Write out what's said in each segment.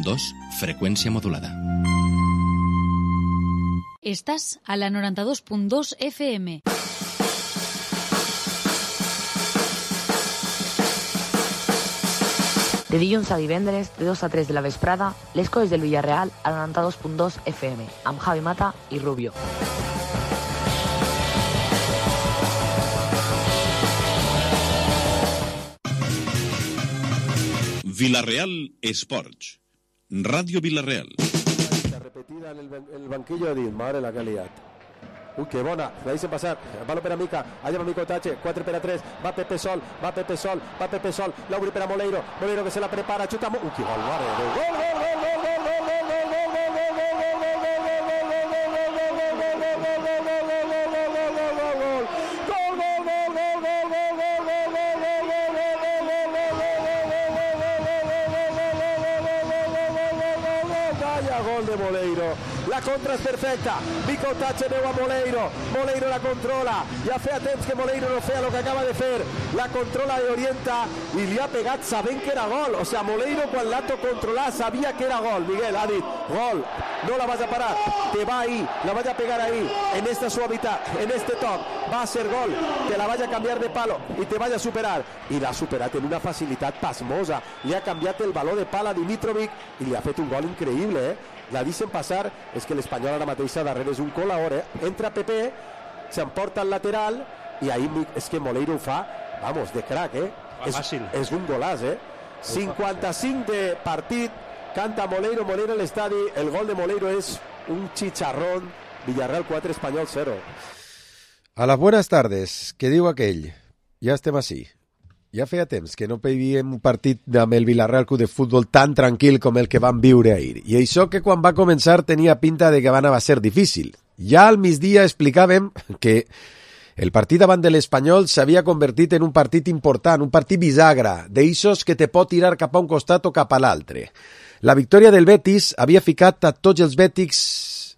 2, freqüència modulada. Estàs a la 92.2 FM. De dilluns a divendres, de 2 a 3 de la vesprada, les coses del Villarreal a la 92.2 FM, amb Javi Mata i Rubio. Villarreal Esports. Radio Villarreal. Repetida en el banquillo de madre la que ha liat. Uy, qué bona, la deixen passar, el palo per a Mica, allà va Mico Tache, 4 per a 3, va Pepe Sol, l'obri per a Moleiro que se la prepara, xuta, uy, que gol, mare, gol de Moleiro. La contra és perfecta. Mico Tache veu a Moleiro la controla. Ja feia temps que Moleiro no feia el que acaba de fer. La controla i orienta i li ha pegat sabent que era gol. O sea, Moleiro quan l'ha controlat sabia que era gol. Miguel ha dit, gol, no la vas a parar, te va ahí, la vas a pegar ahí, en esta suavitat, en este toc, va a ser gol, te la vas a cambiar de palo i te vas a superar. I l'ha superat en una facilitat pasmosa. Li ha canviat el baló de pala a Dimitrovic i li ha fet un gol increïble, La deixen passar, és que l'Espanyol ara mateix darrere és un colaor, Entra Pepe, s'emporta al lateral i ahí és que Moleiro ho fa, vamos, de crack, És un golaç, 55 de partit, canta Moleiro a l'estadi, el gol de Moleiro és un chicharrón, Villarreal 4, Espanyol 0. A las buenas tardes, què diu aquell? Ja estem així. Ja feia temps que no veiem un partit amb el Villarreal Club de Futbol tan tranquil com el que vam viure ahir. I això que quan va començar tenia pinta de que va a ser difícil. Ja al migdia explicàvem que el partit davant de l'Espanyol s'havia convertit en un partit important, un partit bisagra, d'eixos que te pot tirar cap a un costat o cap a l'altre. La victòria del Betis havia ficat a tots els bètics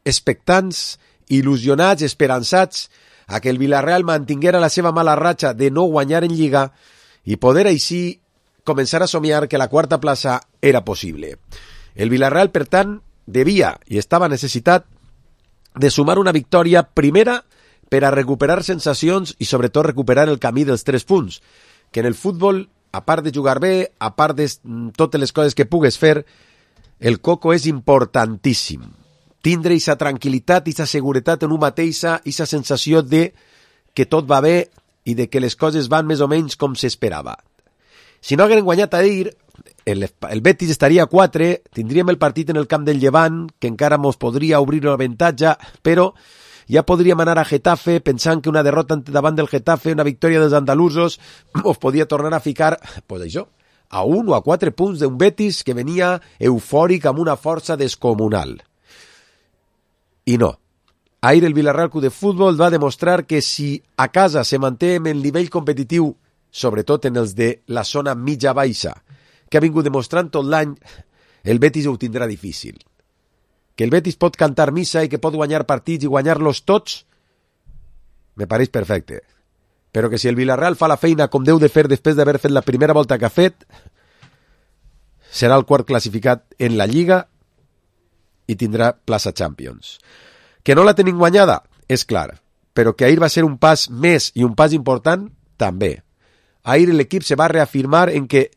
expectants, il·lusionats, esperançats, a que el Villarreal mantinguera la seva mala ratxa de no guanyar en Lliga i poder així començar a somiar que la quarta plaça era possible. El Villarreal, per tant, devia i estava necessitat de sumar una victòria primera per a recuperar sensacions i sobretot recuperar el camí dels 3 punts, que en el futbol, a part de jugar bé, a part de totes les coses que pugues fer, el coco és importantíssim. Tindre aquesta tranquil·litat, aquesta seguretat en un mateixa, aquesta sensació de que tot va bé i de que les coses van més o menys com s'esperava. Si no hagueren guanyat ahir, el Betis estaria a 4, tindríem el partit en el camp del Llevant, que encara mos podria obrir l'avantatge, però ja podríem anar a Getafe pensant que una derrota davant del Getafe, una victòria dels andalusos, mos podia tornar a ficar, pues això, a 1 o a 4 punts d'un Betis que venia eufòric amb una força descomunal. I no. Ahir el Villarreal Club de Futbol va demostrar que si a casa se manté en el nivell competitiu, sobretot en els de la zona mitja-baixa, que ha vingut demostrant tot l'any, el Betis ho tindrà difícil. Que el Betis pot cantar missa i que pot guanyar partits i guanyar-los tots, me pareix perfecte. Però que si el Villarreal fa la feina com deu de fer després d'haver fet la primera volta que ha fet, serà el quart classificat en la Lliga i tindrà plaça Champions. Que no la tenim guanyada, és clar, però que ahir va ser un pas més i un pas important, també. Ahir l'equip se va reafirmar en que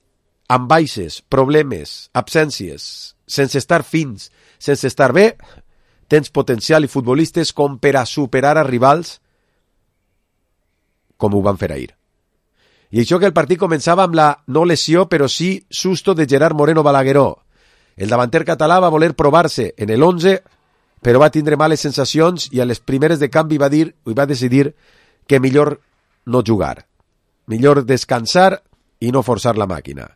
amb baixes, problemes, absències, sense estar fins, sense estar bé, tens potencial i futbolistes com per a superar a rivals com ho van fer ahir. I això que el partit començava amb la no lesió, però sí susto de Gerard Moreno Balagueró. El davanter català va voler provar-se en el 11, però va tindre males sensacions i a les primeres de canvi va decidir que millor no jugar. Millor descansar i no forçar la màquina.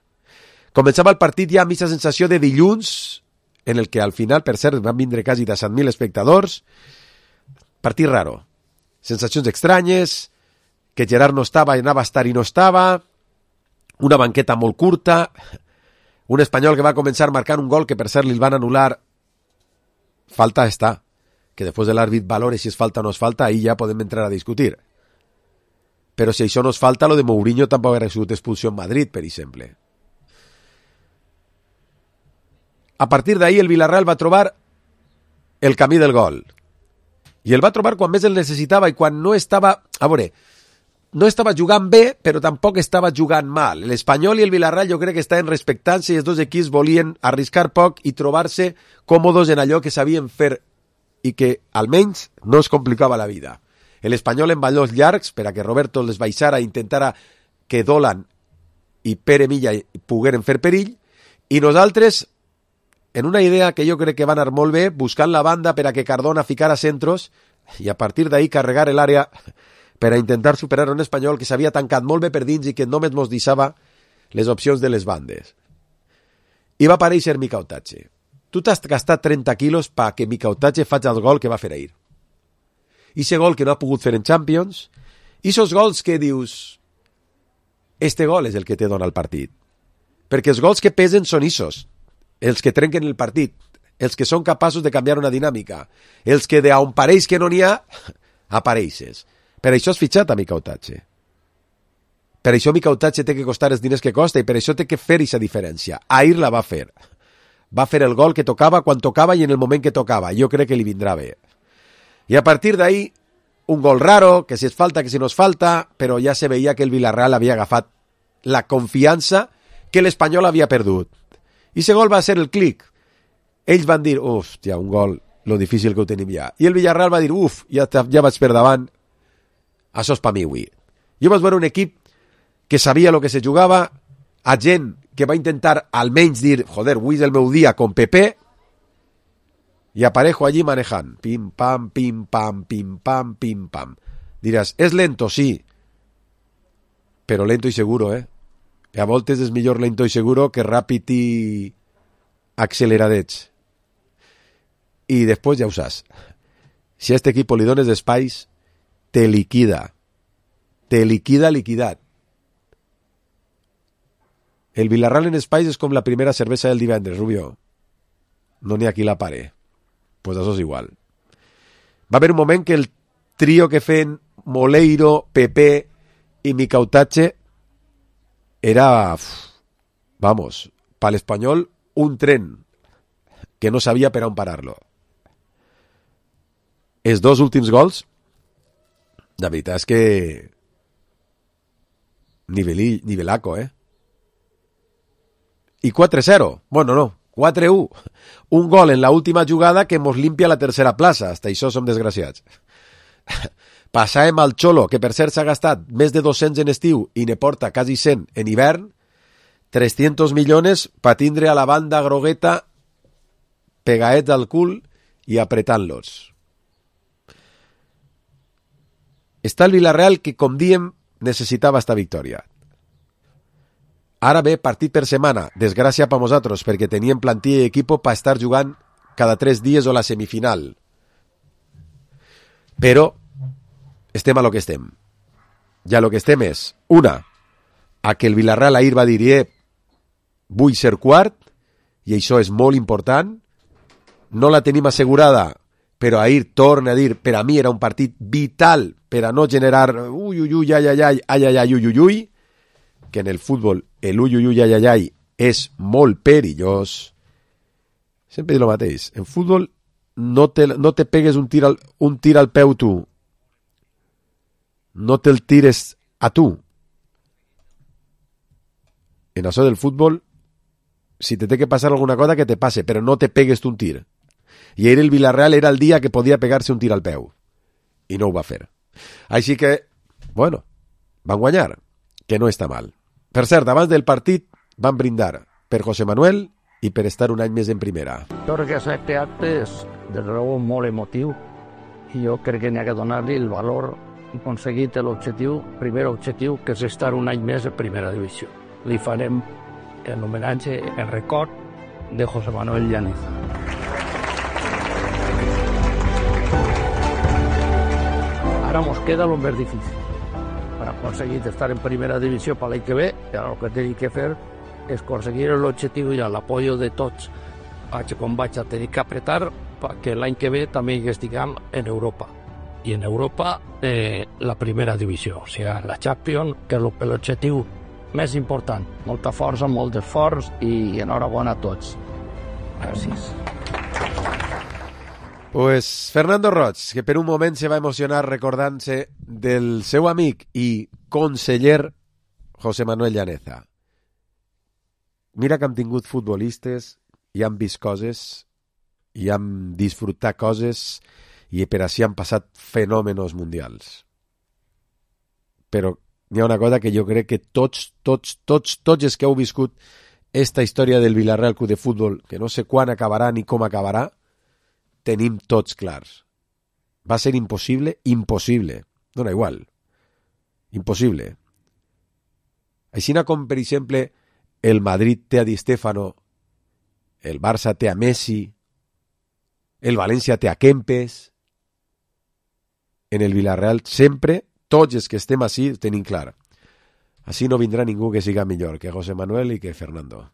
Començava el partit ja amb aquesta sensació de dilluns, en el que al final, per cert, van vindre quasi 17.000 espectadors. Partit raro. Sensacions estranyes, que Gerard no estava i anava a estar i no estava, una banqueta molt curta, un Espanyol que va començar marcant un gol que per cert li van anul·lar. Falta està. Que després de l'àrbit valore si és falta o no és falta, ahí ja podem entrar a discutir. Però si això no és falta, lo de Mourinho tampoc hauria sigut expulsió en Madrid, per exemple. a partir d'ahir el Villarreal va trobar el camí del gol. I el va trobar quan més el necessitava i quan no estava... A veure, no estava jugant bé, però tampoc estava jugant mal. L'Espanyol i el Villarreal jo crec que estaven respectant-se i els dos equips volien arriscar poc i trobar-se còmodes en allò que sabien fer i que almenys no es complicava la vida. L'Espanyol en ballons llargs per a que Roberto les baixara i intentara que Dolan i Pere Milla pogueren fer perill, i nosaltres, en una idea que jo crec que va anar molt bé, buscant la banda per a que Cardona ficara centros i a partir d'ahir carregar l'àrea per a intentar superar un Espanyol que s'havia tancat molt bé per dins i que només mos deixava les opcions de les bandes. I va aparèixer Mika Otache. Tu t'has gastat 30 quilos perquè Mika Otache faci el gol que va fer ahir. I ese gol que no ha pogut fer en Champions, i esos gols que dius, este gol és el que te dona el partit. Perquè els gols que pesen són isos, els que trenquen el partit, els que són capaços de canviar una dinàmica, els que d'on pareix que no n'hi ha, apareixes. Per això has fitxat a Mika Otache. Per això Mika Otache té que costar els diners que costa i per això té que fer aquesta diferència. Ahir la va fer. Va fer el gol que tocava quan tocava i en el moment que tocava. Jo crec que li vindrà bé. I a partir d'ahir, un gol raro, que si es falta, que si no es falta, però ja se veia que el Villarreal havia agafat la confiança que l'Espanyol havia perdut. I aquest gol va ser el clic. Ells van dir, hòstia, un gol, lo difícil que ho tenim ja. I el Villarreal va dir, ja vaig per davant, això és per mi avui. Jo vaig veure un equip que sabia el que se jugava, a gent que va intentar almenys dir, joder, avui és el meu dia con Pepe, y Aparejo allí manejant, pim, pam, pim, pam, pim, pam, pim, pam. Diràs, és lento, sí, però lento i seguro, I a voltes és millor lento i seguro que ràpid i acceleradets. I després ja ho saps. Si a este equipo li dones espais, te liquida. Te liquida liquidat. El Villarreal en espais és com la primera cervesa del divendres, Rubio. No n'hi ha qui la pare. Pues això és igual. Va haver un moment que el trio que feien Moleiro, Pepe i Mika Otache era, vamos, per l'Espanyol un tren que no sabia per on parar-lo. Els dos últims gols, la veritat és que nivelaco, I 4-0, bueno, no, 4-1. Un gol en la última jugada que mos limpia la tercera plaça. Hasta això som desgraciats. Passàvem al Xolo, que per cert s'ha gastat més de 200 en estiu i ne porta quasi 100 en hivern, 300 milions per tindre a la banda grogueta pegaets al cul i apretant-los. Està el Villarreal que, com diem, necessitava esta victòria. Ara ve partit per setmana, desgràcia per nosaltres, perquè teníem plantilla i equipo per estar jugant cada 3 dies o la semifinal. Però estem a lo que estem. I a lo que estem és, una, a que el Villarreal ahir va dir, vull ser quart, i això és molt important, no la tenim assegurada, però ahir torna a dir, per a mi era un partit vital per a no generar ui, que en el futbol el ui és molt perillós. Sempre dic el mateix. En futbol no te pegues un tir al peu tu. No te'l tires a tu. En això del futbol, si te té que passar alguna cosa, que te passe, però no te pegues tu un tir. I ahir el Villarreal era el dia que podia pegar-se un tir al peu. I no ho va fer. Així que, bueno, van guanyar, que no està mal. Per cert, abans del partit van brindar per José Manuel i per estar un any més en primera. Jo crec que aquest acte és de raó molt emotiu i jo crec que n'hi ha que donar-li el valor i aconseguit l'objectiu, primer objectiu, que és estar un any més en primera divisió. Li farem en homenatge, en record de José Manuel Llaneza. Ara mos queda el més difícil. Per aconseguir estar en primera divisió per l'any que ve, el que tenim que fer és aconseguir l'objectiu i l'apoyo de tots, com vaig a tenir que apretar perquè l'any que ve també estiguem en Europa. I en Europa la primera divisió, o sigui, la Champions, que és l'objectiu més important. Molta força, molt d'esforç i enhorabona a tots. Gràcies. Pues Fernando Roig, que per un moment se va emocionar recordant-se del seu amic i conseller José Manuel Llaneza. Mira que hem tingut futbolistes i han vist coses i han disfrutat coses i per així han passat fenòmenos mundials. Però hi ha una cosa que jo crec que tots els que heu viscut esta història del Villarreal Club de Futbol, que no sé quan acabarà ni com acabarà, tenim tots clars. Va ser impossible. Dona igual. Impossible. Així com, per exemple, el Madrid té a Di Stéfano, el Barça té a Messi, el València té a Kempes. En el Villarreal sempre, tots els que estem així, ho tenim clar. Així no vindrà ningú que siga millor que José Manuel i que Fernando.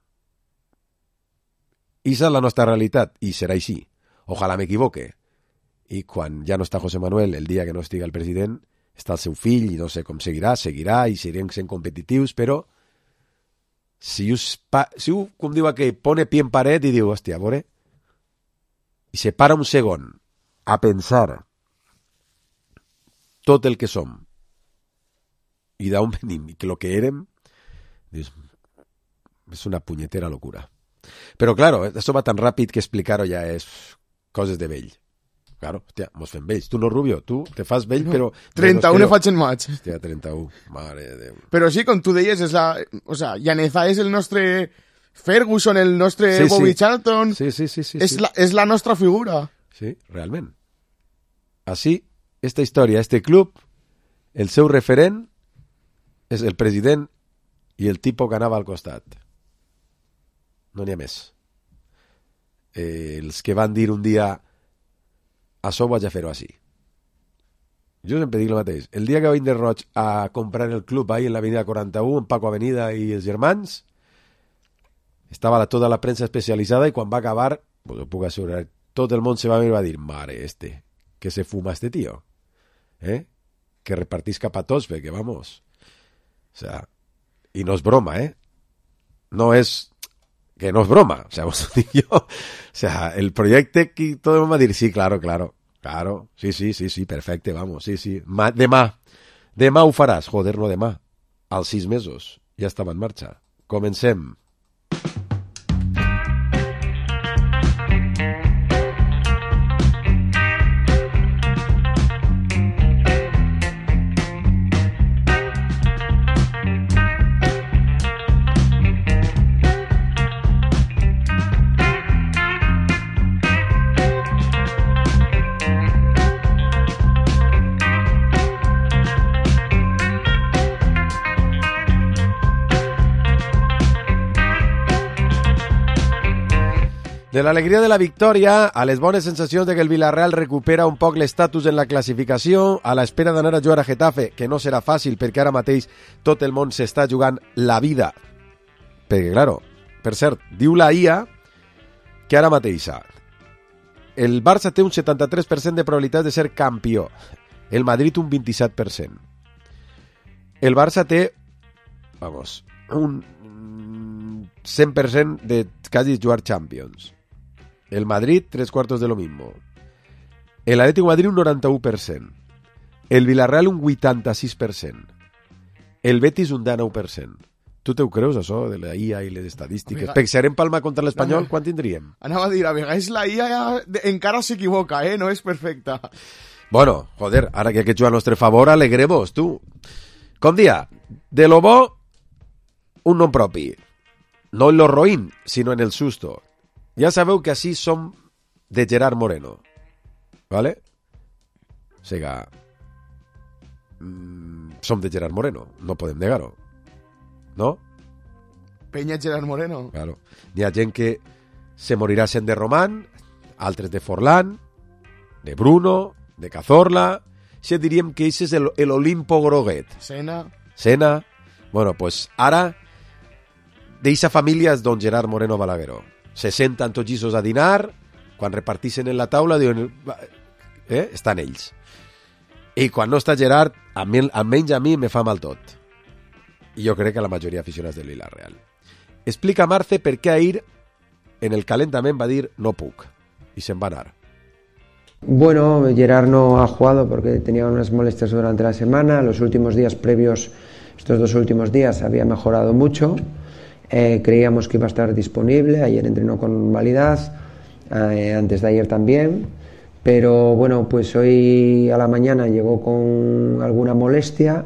Esa és la nostra realitat, i serà així. Ojalà m'equivoque. I quan ja no està José Manuel, el dia que no estiga el president, està el seu fill, i no sé com seguirà, i seguirem sent competitius, però si u, com diu aquell, pone pie en paret i diu, hòstia, a veure, i se para un segon a pensar tot el que som i d'on venim i que lo que érem, dius, és una punyetera locura. Però, claro, això va tan ràpid que explicar-ho ja és coses de vell. Claro, hòstia, mos fem vells. Tu no, Rubio, tu te fas vell, però... 31 ne faig en maig. Hòstia, 31, mare de Déu. Però sí, com tu deies, és la... O sea, Llaneza és el nostre Ferguson, el nostre Bobby Charlton. Sí. És la nostra figura. Sí, realment. Així, esta història, este club, el seu referent és el president i el tipus que anava al costat. No n'hi ha més. Els que van dir un dia això vaig a fer-ho així. Jo sempre dic el mateix. El dia que va vindre Roig a comprar el club ahí en l'avenida 41, en Paco Avenida i els germans, estava tota la premsa especialitzada i quan va acabar, pues ho puc assegurar, tot el món se va mirar i va dir, mare, que se fuma este tío. Que repartís cap a tots, perquè vamos. O sea, i no és broma, no és que no es broma, o sea, vos lo digo yo. O sea, el proyecto que todo el mundo va a decir, sí, claro, sí, perfecte, vamos, sí. Demà ho faràs, joder, no demà, als 6 mesos, ja estava en marxa. Comencem. De l'alegria de la victòria a les bones sensacions de que el Villarreal recupera un poc l'estatus en la classificació, a l'espera d'anar a jugar a Getafe, que no serà fàcil perquè ara mateix tot el món s'està jugant la vida. Perquè, claro, per cert, diu la IA que ara mateix el Barça té un 73% de probabilitat de ser campió, el Madrid un 27%. El Barça té, vamos, un 100% de quasi jugar Champions. El Madrid, 3/4 de lo mismo. El Atlético de Madrid, un 91%. El Villarreal, un 86%. El Betis, un 19%. Tu te ho creus, això, de la IA i les estadístiques? Pensarem Palma contra l'Espanyol, quan tindríem? Anava a dir, a vegades la IA encara s'equivoca, no és perfecta. Bueno, joder, ara que aquest juga a nostre favor, alegremos, tu. Com dia, de lo bo, un nom propi. No en lo roïn, sinó en el susto. Ja sabeu que així som de Gerard Moreno. ¿Vale? O sigui, som de Gerard Moreno, no podem negar-ho. ¿No? Peña Gerard Moreno. Claro. Hi ha gent que se morirà sent de Román, altres de Forlán, de Bruno, de Cazorla. Si diríem que això és el Olimpo groguet. Sena. Bueno, pues ara d'eixa família és don Gerard Moreno Balagueró. Se senten tots lliços a dinar, quan repartixen en la taula diuen, estan ells. I quan no està Gerard, almenys a mi me fa mal tot. I jo crec que la majoria d'aficionats del Villarreal. Explica Marce per què ahir en el calentament va dir no puc, i se'n va anar. Bueno, Gerard no ha jugado porque tenía unas molestias durante la semana. Los últimos días previos, estos 2 últimos días, había mejorado mucho. Creíamos que iba a estar disponible. Ayer entrenó con normalidad, antes de ayer también. Pero bueno, pues hoy a la mañana llegó con alguna molestia.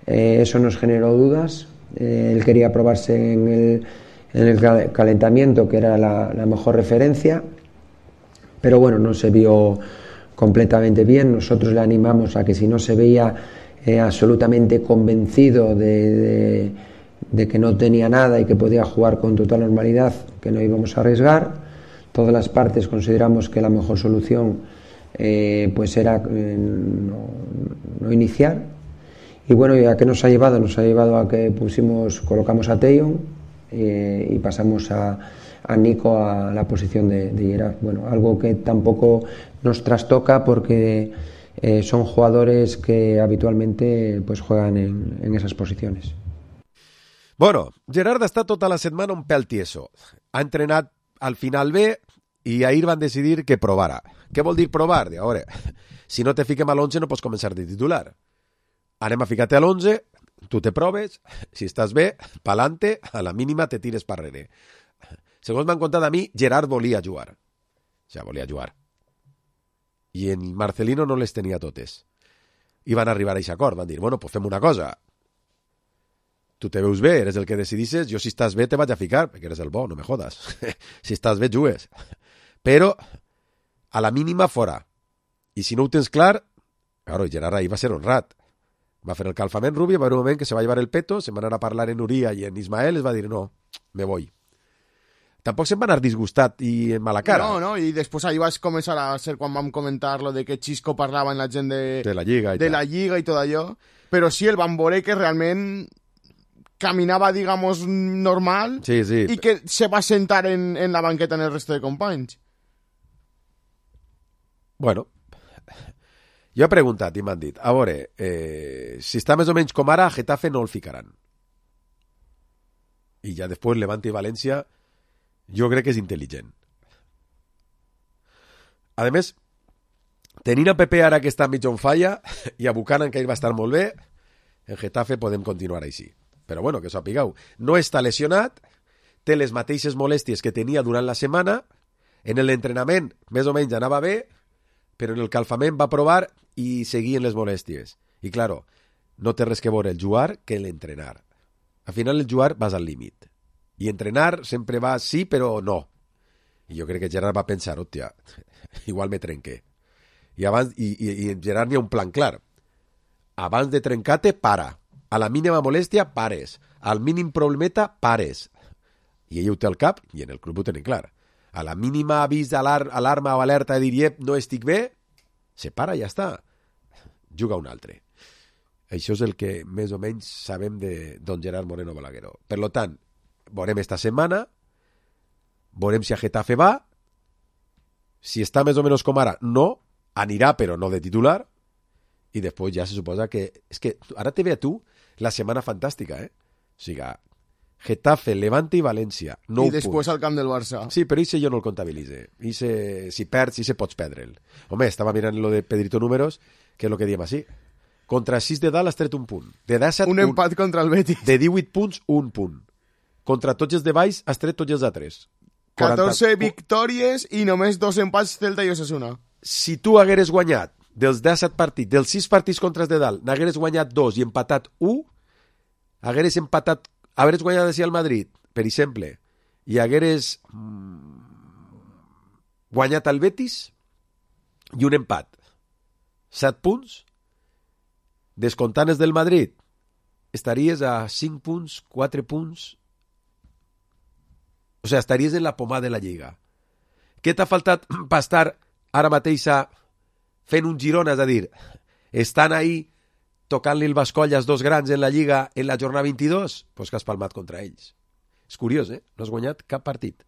Eso nos generó dudas. Él quería probarse en el calentamiento, que era la mejor referencia. Pero bueno, no se vio completamente bien. Nosotros le animamos a que si no se veía absolutamente convencido de que no tenía nada y que podía jugar con total normalidad, que no íbamos a arriesgar. Todas las partes consideramos que la mejor solución pues era no iniciar. Y bueno, ¿a qué nos ha llevado? Nos ha llevado a que colocamos a Teijon y pasamos a Nico a la posición de Gerard. Bueno, algo que tampoco nos trastoca porque son jugadores que habitualmente pues juegan en esas posiciones. Bueno, Gerard està tota la setmana un pèl tieso. Ha entrenat al final bé i ahir van decidir que provara. Què vol dir provar? A veure, si no te fiquem a l'11 no pots començar de titular. Anem a ficar-te a l'11, tu te proves, si estàs bé, pa'lante, a la mínima te tires per darrere. Segons m'han contat a mi, Gerard volia jugar. O sigui, volia jugar. I en Marcelino no les tenia totes. I van arribar a aquest acord. Van dir, bueno, pues fem una cosa. Tu te veus bé, eres el que decidisses, jo si estàs bé te vaig a ficar, perquè eres el bo, no me jodas. Si estàs bé, jugues. Però, a la mínima, fora. I si no ho tens clar, claro, Gerard ahir va ser honrat. Va fer el calfament Rubio, va haver un moment que se va llevar el peto, se van anar a parlar en Uria i en Ismael, es va dir, no, me voy. Tampoc se'n va anar disgustat i en mala cara. No, i després ahí vas començar a ser quan vam comentar lo de que Xisco parlava en la gent de la Lliga la Lliga i tot allò, però sí, el van veure que realment caminava, digamos, normal, sí. I que se va sentar en la banqueta en el resto de companys. Bueno, jo he preguntat i m'han dit, a veure, si està més o menys com ara, a Getafe no el ficaran. I ja després Levante i València jo crec que és intel·ligent. A més, tenint a Pepe ara que està mig on falla i a Buchanan que ell va estar molt bé, en Getafe podem continuar així. Però bueno, que sapigueu, no està lesionat, té les mateixes molèsties que tenia durant la setmana, en l'entrenament més o menys anava bé, però en el calfament va provar i seguien les molèsties. I claro, no té res que veure el jugar que l'entrenar. Al final el jugar vas al límit. I entrenar sempre va sí, però no. I jo crec que Gerard va pensar, hòstia, igual me trenqué. I en Gerard n'hi ha un plan clar. Abans de trencar-te, para. A la mínima molèstia, pares. Al mínim problemeta, pares. I ell ho té al cap, i en el club ho tenen clar. A la mínima avís alarma o alerta de dir, no estic bé, se para i ja està. Juga un altre. Això és el que més o menys sabem de don Gerard Moreno Balagueró. Per lo tant, veurem esta setmana, veurem si a Getafe va, si està més o menys com ara, no, anirà però no de titular, i després ja se suposa que... És que ara te ve a tu la setmana fantàstica, O sigui, Getafe, Levante i València, 9 punts. I després al camp del Barça. Sí, però això jo no el comptabilitze. Si perds, pots perdre'l. Home, estava mirant lo de Pedrito Números, que és el que diem així. Contra 6 de dalt has tret un punt. De 17, un empat contra el Betis. De 18 punts, un punt. Contra tots els de baix has tret tots els altres. 14 victòries i només 2 empats Celta i Osasuna. Si tu hagueres guanyat dels 17 partits, dels 6 partits contra els de dalt, n'hagueres guanyat 2 i empatat 1, hagueres guanyat així al Madrid, per exemple, i hagueres guanyat al Betis i un empat. 7 punts, descomptant els del Madrid, estaries a 5 punts, 4 punts... O sigui, estaries en la pomada de la Lliga. Què t'ha faltat per estar ara mateix fent un Girona? És a dir, estan ahí tocant-li el Bascolla als dos grans en la Lliga en la jornada 22? Pues que has palmat contra ells. És curiós, No has guanyat cap partit.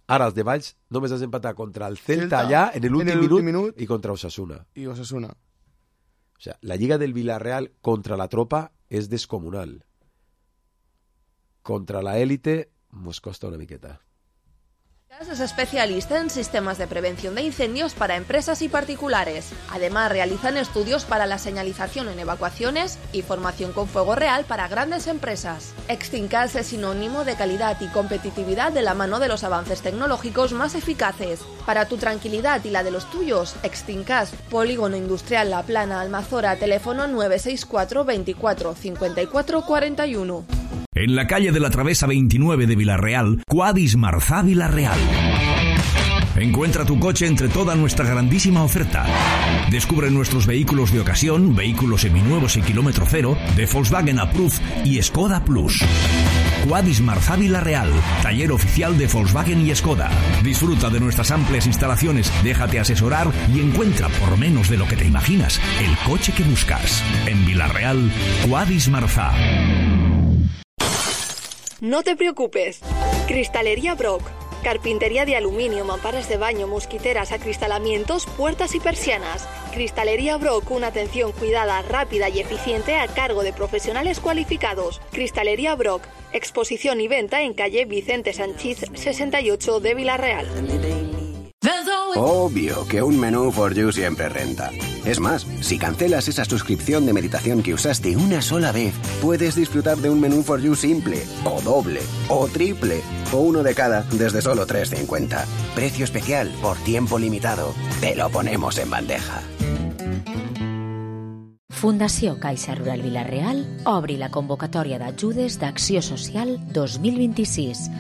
Ara els de Valls només has empatat contra el Celta allà en l'últim minut i contra Osasuna. I Osasuna. O sigui, la Lliga del Villarreal contra la tropa és descomunal. Contra la élite mos costa una miqueta. Es especialista en sistemas de prevención de incendios para empresas y particulares. Además, realizan estudios para la señalización en evacuaciones y formación con fuego real para grandes empresas. Extincas es sinónimo de calidad y competitividad de la mano de los avances tecnológicos más eficaces. Para tu tranquilidad y la de los tuyos, Extincas, Polígono Industrial La Plana, Almazora, teléfono 964 24 54 41. En la calle de la Travesa 29 de Villarreal, Quadis Marzá Villarreal. Encuentra tu coche entre toda nuestra grandísima oferta. Descubre nuestros vehículos de ocasión, vehículos seminuevos y kilómetro cero, de Volkswagen Approved y Skoda Plus. Quadis Marzá Villarreal, taller oficial de Volkswagen y Skoda. Disfruta de nuestras amplias instalaciones, déjate asesorar y encuentra por menos de lo que te imaginas el coche que buscas. En Villarreal, Quadis Marzá. No te preocupes. Cristalería Brock. Carpintería de aluminio, mamparas de baño, mosquiteras, acristalamientos, puertas y persianas. Cristalería Brock, una atención cuidada, rápida y eficiente a cargo de profesionales cualificados. Cristalería Brock, exposición y venta en calle Vicente Sanchís 68 de Villarreal. Obvio que un menú for you siempre renta. Es más, si cancelas esa suscripción de meditación que usaste una sola vez, puedes disfrutar de un menú for you simple, o doble, o triple, o uno de cada desde solo 3,50. Precio especial por tiempo limitado. Te lo ponemos en bandeja. Fundació Caixa Rural Vila-real obri la convocatòria d'ajudes d'Acció Social 2026.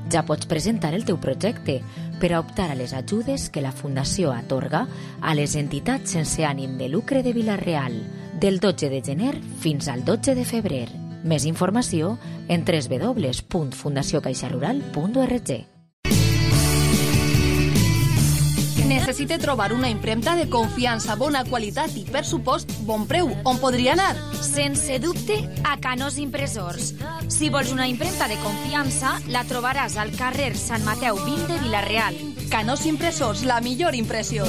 Ja pots presentar el teu projecte per a optar a les ajudes que la Fundació atorga a les entitats sense ànim de lucre de Vila-real del 12 de gener fins al 12 de febrer. Més informació en www.fundaciocaixarural.org. Necessite trobar una impremta de confiança, bona qualitat i, per supost, bon preu. On podria anar? Sense dubte, a Canós Impressors. Si vols una impremta de confiança, la trobaràs al carrer Sant Mateu 20 de Vila-real. Canós Impressors, la millor impressió.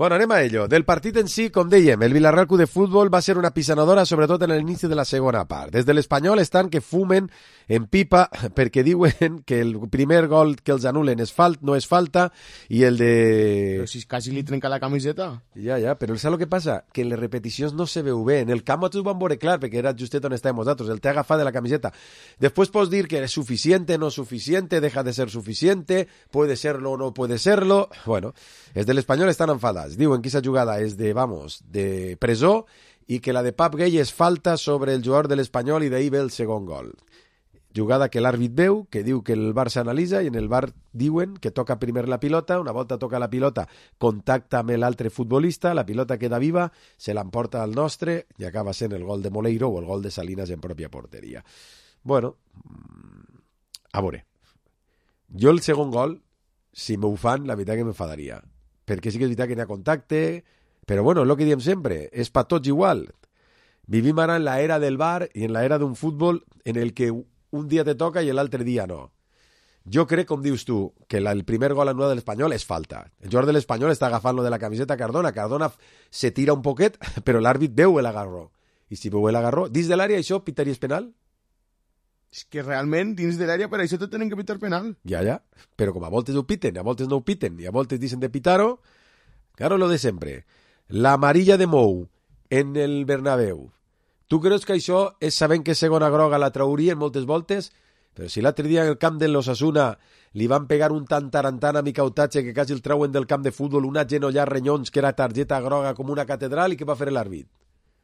Bueno, anem a ello. Del partit en si, com dèiem, el Villarreal Club de Futbol va ser una pisonadora, sobretot en l'inici de la segona part. Des de l'Espanyol estan que fumen en pipa perquè diuen que el primer gol que els anulen no és falta i el de... Però si quasi li trenca la camiseta. Ja, però saps el que passa? Que en les repeticions no se veu bé. En el camp ho van veure clar, perquè era justet on estàvem nosaltres. El té agafat de la camiseta. Després pots dir que és suficiente, no suficiente, deja de ser suficiente, puede serlo o no puede serlo. Bueno, els de l'Espanyol estan enfadats. Diuen que aquesta jugada és de presó i que la de Pap Gay és falta sobre el jugador de l'Espanyol i d'ahir ve el segon gol. Jugada que l'àrbit veu, que diu que el VAR s'analitza i en el VAR diuen que toca primer la pilota, una volta toca la pilota, contacta amb l'altre futbolista, la pilota queda viva, se l'emporta al nostre i acaba sent el gol de Moleiro o el gol de Salinas en pròpia porteria. Bueno, a veure, jo el segon gol, si m'ho fan, la veritat que m'enfadaria. Perquè sí que és veritat que n'hi ha contacte, però bueno, és el que diem sempre, és per tots igual. Vivim ara en l'era del VAR i en l'era d'un futbol en el que un dia te toca i l'altre dia no. Jo crec, com dius tu, que el primer gol anul·lat de l'Espanyol és falta. El jugador de l'Espanyol està agafant-lo de la camiseta Cardona. Cardona se tira un poquet, però l'àrbit veu l'agarró. I si veu l'agarró, dins de l'àrea això pitaries penal? És que realment, dins de l'àrea, per això te tenen que pitar penal. Ja, però com a voltes ho piten, a voltes no ho piten, i a voltes dicen de pitar-ho, claro, lo de sempre. La amarilla de Mou en el Bernabéu. Tu creus que això és sabent que segona groga la traurien moltes voltes? Però si l'altre dia en el camp de l'Osasuna li van pegar un tant tarantant a Micautatge que quasi el trauen del camp de futbol, una genollar renyons que era targeta groga com una catedral, i què va fer l'àrbit?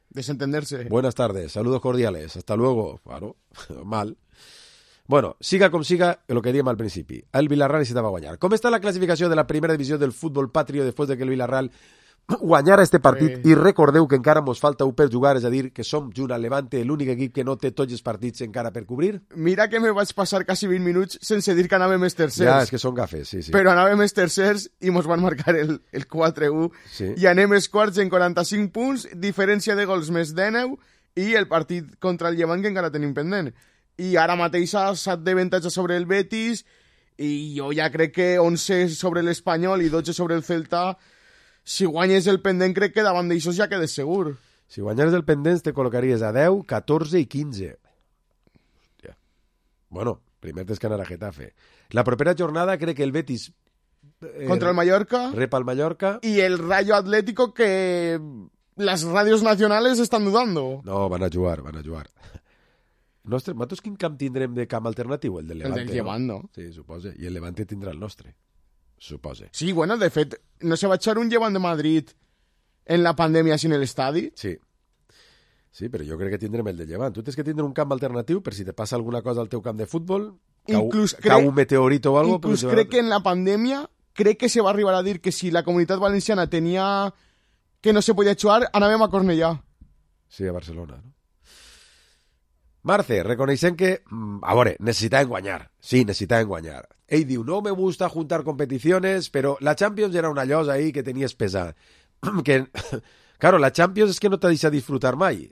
Desentenderse. Buenas tardes, saludos cordiales, hasta luego. Claro, mal. Bueno, siga com siga, el que diem al principi. El Villarreal necessitava guanyar. Com està la classificació de la primera divisió del futbol patrio després de que el Villarreal guanyara este partit? I recordeu que encara mos falta un per jugar, és a dir, que som junt al Levante l'únic equip que no té tots els partits encara per cobrir. Mira que me vaig passar quasi 20 minuts sense dir que anàvem els tercers. Ja, és que són gafes, sí. Però anàvem els tercers i mos van marcar el 4-1. Sí. I anem els quarts en 45 punts, diferència de gols més 19 i el partit contra el Llevant que encara tenim pendent. I ara mateix ha 7 d'avantatge sobre el Betis i jo ja crec que 11 sobre l'Espanyol i 12 sobre el Celta. Si guanyes el pendent, crec que davant d'aixòs ja quedes segur. Si guanyares el pendent, te col·locaries a 10, 14 i 15. Bueno, primer tens que anar a Getafe. La propera jornada crec que el Betis... contra el Mallorca. Rep al Mallorca. Y el Rayo Atlético que las radios nacionales están dudando. No, van a jugar. Nosaltres quin camp tindrem de camp alternatiu? El del Levante. El del Llevant, no? Sí, suposa. I el Levante tindrà el nostre. Suposa. Sí, bueno, de fet, no se va echar un Llevant de Madrid en la pandèmia sin el estadi? Sí. Sí, però jo crec que tindrem el de Llevant. Tu tens que tindre un camp alternatiu per si te passa alguna cosa al teu camp de futbol, cau un meteorito o algo... Inclús crec que en la pandèmia crec que se va arribar a dir que si la Comunitat Valenciana tenia que no se podia jugar, anàvem a Cornellà. Sí, a Barcelona, no? Marce, reconeixem que, a veure, necessitaven guanyar. Sí, necessitaven guanyar. Ell diu, no me gusta juntar competiciones, però la Champions era una llosa ahí que tenies pesada. Que, claro, la Champions és que no te deixa disfrutar mai.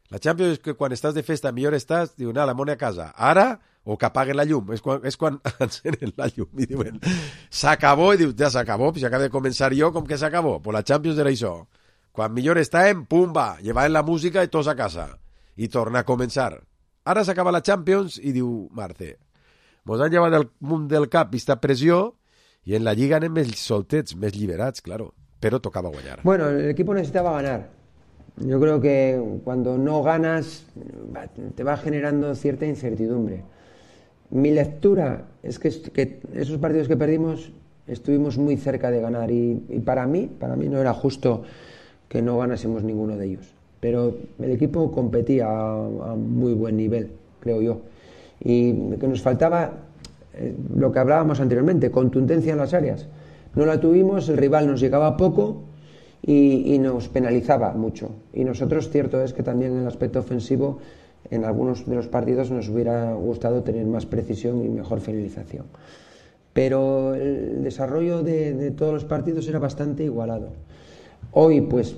La Champions és que quan estàs de festa millor estàs, diu, la mona a casa. Ara, o que apaguen la llum. És quan encenen la llum i diuen, s'acabó, i dius, ja s'acabó, si acaba de començar jo, com que s'acabó? Pues la Champions era això. Quan millor estàvem, pum, va, llevaven la música i tots a casa. I torna a començar. Ara s'acaba la Champions i diu Marce, mos han llevat del munt del cap vista pressió i en la Lliga anem més soltets, més liberats, claro, però tocava guanyar. Bueno, el equipo necesitaba ganar. Yo creo que cuando no ganas te va generando cierta incertidumbre. Mi lectura es que esos partidos que perdimos estuvimos muy cerca de ganar y para mí no era justo que no ganásemos ninguno de ellos. Pero el equipo competía a muy buen nivel, creo yo. Y que nos faltaba lo que hablábamos anteriormente, contundencia en las áreas. No la tuvimos, el rival nos llegaba poco y nos penalizaba mucho. Y nosotros, cierto es que también en el aspecto ofensivo, en algunos de los partidos nos hubiera gustado tener más precisión y mejor finalización. Pero el desarrollo de todos los partidos era bastante igualado. Hoy, pues...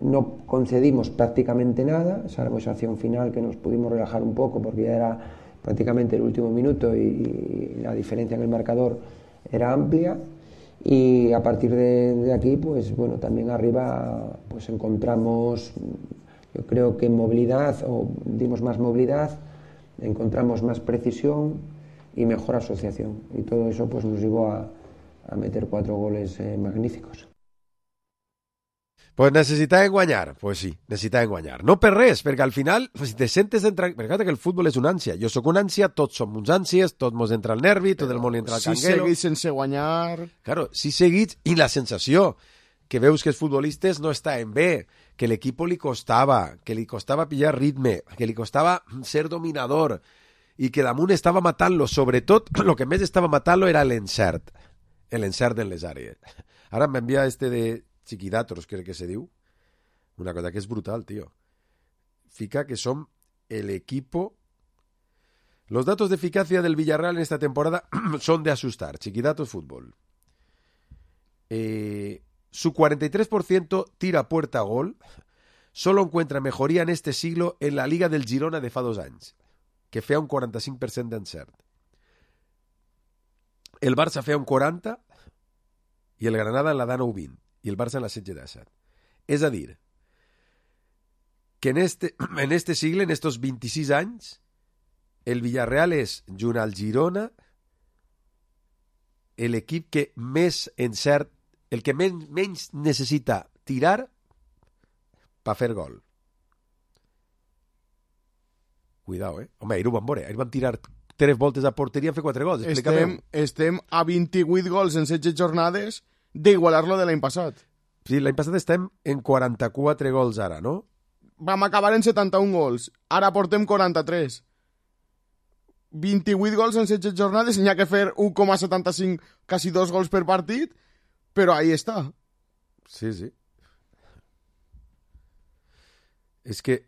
no concedimos prácticamente nada, salvo esa acción final que nos pudimos relajar un poco porque ya era prácticamente el último minuto y la diferencia en el marcador era amplia, y a partir de aquí, pues bueno, también arriba pues encontramos, yo creo que movilidad, o dimos más movilidad, encontramos más precisión y mejor asociación, y todo eso pues nos llevó a meter 4 goles magníficos. Pues necessitaven guanyar, pues sí, necessitaven guanyar. No per res, perquè al final, si te sentes perquè que el futbol és una ànsia. Jo sóc una ànsia, tots som uns ànsies, tots mos entra el nervi, tot el món entra al canguelo. Si seguís sense guanyar... Claro, si seguits, i la sensació que veus que els futbolistes no estaven bé, que l'equip li costava pillar ritme, que li costava ser dominador, i que damunt estava matant-lo. Sobretot, el que més estava matant-lo era l'encert en les àrees. Ara m'envia de Chiquidatos, crec que se diu, una cosa que és brutal, tío. Fica que som el equipo... Los datos de eficacia del Villarreal en esta temporada son de asustar. Chiquidatos Fútbol. Su 43% tira a puerta a gol solo encuentra mejoría en este siglo en la Liga del Girona de fa 2 anys, que feia un 45% d'encert. El Barça feia un 40% i el Granada en la da 9-20. I el Barça en la 16-17. És a dir, que en este sigle, en estos 26 anys, el Villarreal és, junt al Girona, l'equip que més encert, el que menys necessita tirar per fer gol. Cuidao, Home, ahir ho vam veure. Ahir vam tirar 3 voltes a porteria i fer 4 gols. Estem a 28 gols en 16 jornades d'igualar-lo de l'any passat. Sí, l'any passat estem en 44 gols ara, no? Vam acabar en 71 gols. Ara portem 43. 28 gols en 16 jornades, n'hi ha que fer 1,75, quasi 2 gols per partit, però ahí està. Sí, sí. És que...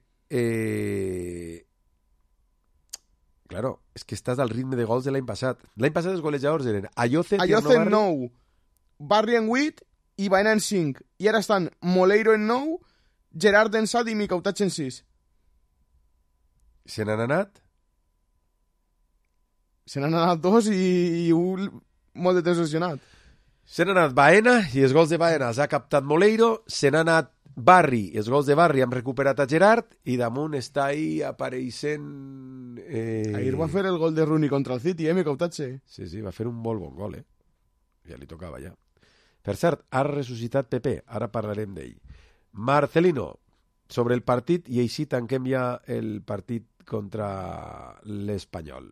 Claro, és que estàs al ritme de gols de l'any passat. L'any passat els golejadors eren Ayoce en 9, Barri en 8 i Baena en 5. I ara estan Moleiro en 9, Gerard en 7 i Micautatx en 6. Se n'han anat? Se n'han anat 2 i un molt detencionat. Se n'ha anat Baena i els gols de Baena els ha captat Moleiro. Se n'ha anat Barri, els gols de Barri han recuperat a Gerard i damunt està ahí apareixent... Ahir va fer el gol de Rooney contra el City, Mecautatge. Sí, va fer un molt bon gol, Ja li tocava, ja. Per cert, ha ressuscitat Pepe, ara parlarem d'ell. Marcelino, sobre el partit, i així tanquem ja el partit contra l'Espanyol.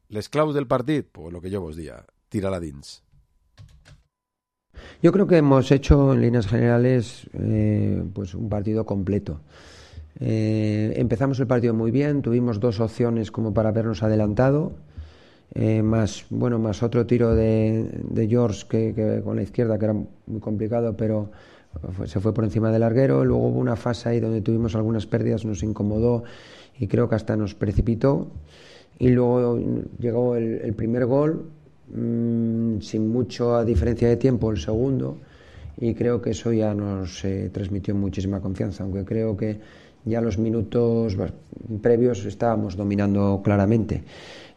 Les claus del partit, pues lo que yo vos diga, tira-la dins. Yo creo que hemos hecho en líneas generales pues un partido completo. Empezamos el partido muy bien, tuvimos 2 opciones como para habernos adelantado, más otro tiro de George que con la izquierda que era muy complicado, pero se fue por encima del larguero. Luego hubo una fase ahí donde tuvimos algunas pérdidas, nos incomodó y creo que hasta nos precipitó. Y luego llegó el primer gol, sin mucha diferencia de tiempo, el segundo, y creo que eso ya nos transmitió muchísima confianza, aunque creo que ya los minutos previos estábamos dominando claramente.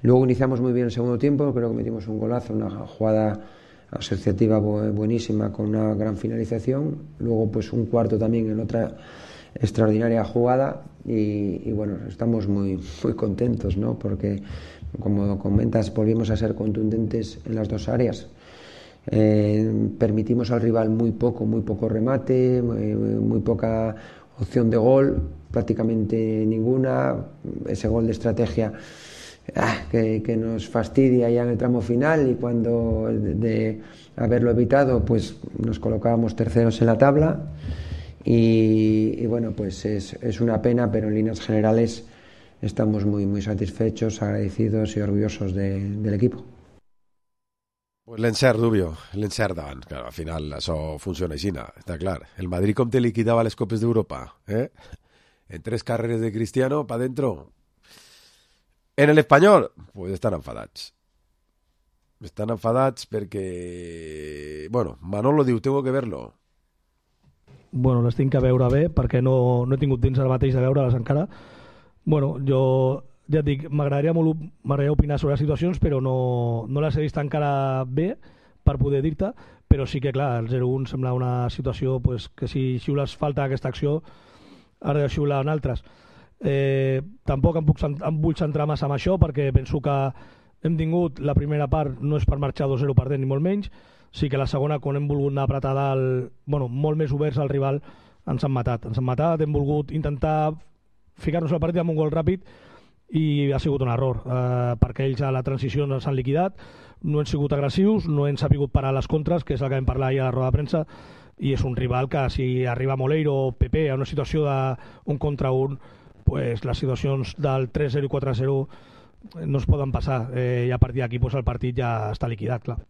Luego iniciamos muy bien el segundo tiempo, creo que metimos un golazo, una jugada asociativa buenísima con una gran finalización. Luego pues un cuarto también en otra extraordinaria jugada y bueno, estamos muy contentos, ¿no? Porque como comentas, volvimos a ser contundentes en las 2 áreas. Permitimos al rival muy poco remate, muy poca opción de gol, prácticamente ninguna. Ese gol de estrategia que nos fastidia ya en el tramo final, y cuando de haberlo evitado pues nos colocábamos terceros en la tabla. Y bueno, pues es una pena, pero en líneas generales estamos muy satisfechos, agradecidos y orgullosos del equipo. Pues l'encert, Dubio, l'encert davant. Claro, al final això funciona així, està clar. El Madrid com te liquidava les Copes d'Europa, en 3 carreres de Cristiano, pa dentro. En el Espanyol, pues estan enfadats. Estan enfadats perquè... Bueno, Manolo diu, tengo que verlo. Bueno, les tinc que veure bé, perquè no he tingut temps ara mateix de veure-les encara. Bueno, jo ja et dic, m'agradaria opinar sobre les situacions, però no les he vist encara bé per poder dir-te, però sí que, clar, el 0-1 sembla una situació pues, que si xiules falta aquesta acció, has de xiular en altres. Tampoc em vull centrar massa en això, perquè penso que hem tingut la primera part, no és per marxar 2-0 perdent ni molt menys, sí que la segona, quan hem volgut anar a apretar dalt, molt més oberts al rival, ens han matat, hem volgut intentar ficar-nos al partit amb un gol ràpid i ha sigut un error, perquè ells a la transició no s'han liquidat, no han sigut agressius, no han sapigut parar les contres, que és el que vam parlar ahir a la roda de premsa, i és un rival que si arriba Moleiro o Pepe a una situació d'un contra un, pues les situacions del 3-0 i 4-0 no es poden passar, i a partir d'aquí pues, el partit ja està liquidat, clar.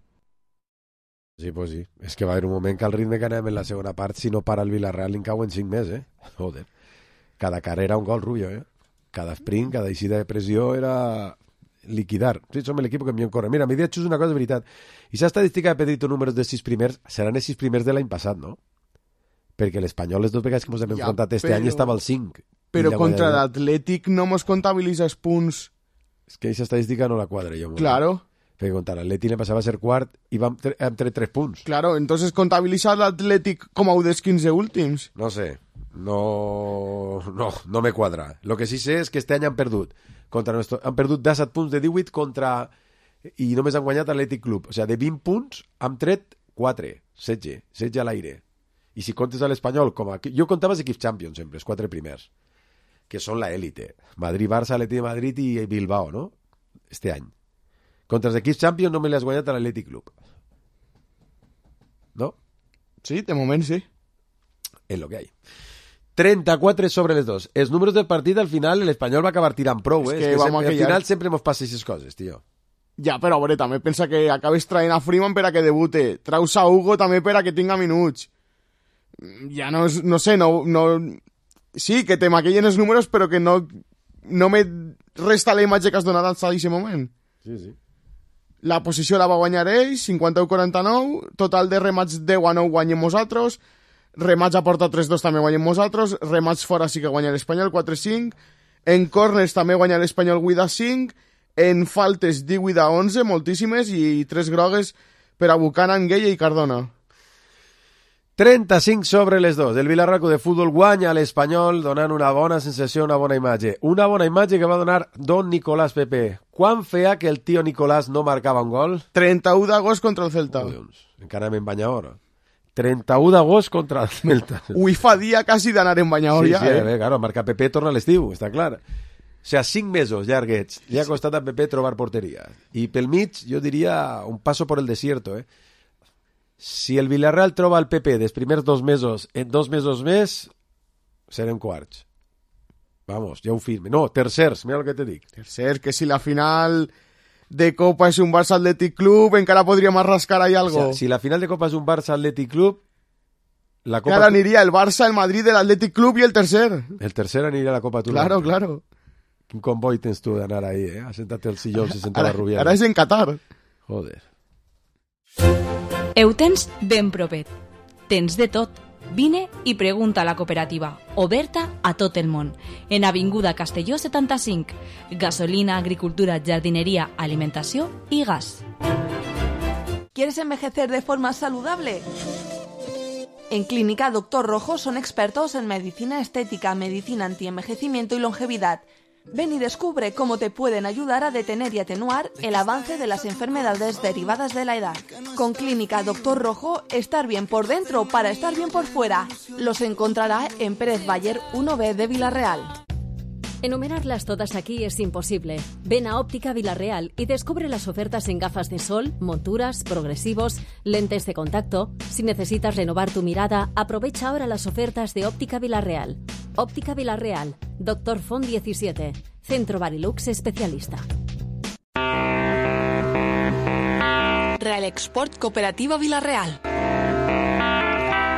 Sí, pues sí. És que va haver un moment que el ritme que anem en la segona part, si no para el Villarreal, li en cauen 5 més, Joder. Cada carrera un gol, Rubio, Cada sprint, cada eixida de pressió era liquidar. Sí, som l'equip que millor corre. Mira, m'he dit una cosa de veritat. I aquesta estadística de Pedrito números de 6 primers seran els 6 primers de l'any passat, no? Perquè l'Espanyol les 2 vegades que ens hem enfrontat este any estava al 5. Però contra l'Atlètic no mos comptabilitza els punts. És que aquesta estadística no la quadra jo. Claro. Perquè contra l'Atlètic le passava a ser quart i vam tret 3 punts. Claro, entonces contabiliza l'Atlètic com a un dels 15 últims. No sé, no me quadra. Lo que sí sé és que este any han perdut. Han perdut 17 punts de 18 contra... I només han guanyat l'Atlètic Club. O sigui, de 20 punts han tret 4, 16 a l'aire. I si comptes a l'Espanyol, jo comptava els equips Champions sempre, els 4 primers, que són la élite. Madrid, Barça, Atlètic de Madrid i Bilbao, no? Este any. Contra els equips Champions no me l'has guanyat a l'Atlètic Club. ¿No? Sí, de moment sí. Es lo que hay. 34 sobre les 2. Els números del partit, al final, l'Espanyol va acabar tirant prou, És que al final sempre mos passa aquestes coses, tio. Ja, però a veure, també pensa que acabes traient a Freeman per a que debute. Traus a Hugo també per a que tinga minuts. Ja no sé, no... Sí, que te maquillen els números, però que no me resta la imatge que has donat al d'aquest moment. Sí, sí. La posició la va guanyar ells, 51-49, total de remats 10-9 guanyem nosaltres, remats a porta 3-2 també guanyem nosaltres, remats fora sí que guanya l'Espanyol 4-5, en corners també guanya l'Espanyol 8-5, en faltes 18-11, moltíssimes, i 3 grogues per a Buchanan, Gueye i Cardona. 35 sobre les 2. El Villarreal de futbol guanya a l'Espanyol donant una bona sensació, una bona imatge. Una bona imatge que va donar Don Nicolás Pepe. Quan feia que el tio Nicolás no marcava un gol? 31 d'agost contra el Celta. Encara en banyador. 31 d'agost contra el Celta. Ui, fa dia quasi d'anar en banyador ja. Sí, claro, marcar Pepe torna a l'estiu, està clar. O sigui, 5 mesos llarguets. Li ha costat a Pepe trobar porteria. I pel mig, jo diria, un paso por el desierto, Si el Villarreal troba el PP dels primers 2 mesos en 2 mesos més, serem quarts. Vamos, ja ho firme. No, tercers, mira el que te dic. Tercers, que si la final de Copa és un Barça Athletic Club, encara podríem rascar ahí algo. O sea, si la final de Copa és un Barça Athletic Club, la Copa... Claro, aniria el Barça, el Madrid, el Athletic Club i el tercer. El tercer aniria a la Copa Turca. Claro, claro. Quin comboi tens tu d'anar ahí, a sentar-te al sillón, se senta la Rubiana. Ara és en Qatar. Joder. Ho tens ben propet. Tens de tot. Vine i pregunta a la cooperativa, oberta a tot el món. En Avinguda Castelló 75. Gasolina, agricultura, jardinería, alimentació i gas. ¿Quieres envejecer de forma saludable? En Clínica Dr. Rojo son expertos en medicina estética, medicina antienvejecimiento y longevidad. Ven y descubre cómo te pueden ayudar a detener y atenuar el avance de las enfermedades derivadas de la edad. Con Clínica Dr. Rojo, estar bien por dentro para estar bien por fuera. Los encontrará en Pérez Bayer 1B de Villarreal. Enumerarlas todas aquí es imposible. Ven a Óptica Villarreal y descubre las ofertas en gafas de sol, monturas, progresivos, lentes de contacto. Si necesitas renovar tu mirada, aprovecha ahora las ofertas de Óptica Villarreal. Óptica Villarreal, Dr. Font 17, Centro Barilux especialista. Real Export Cooperativa Villarreal.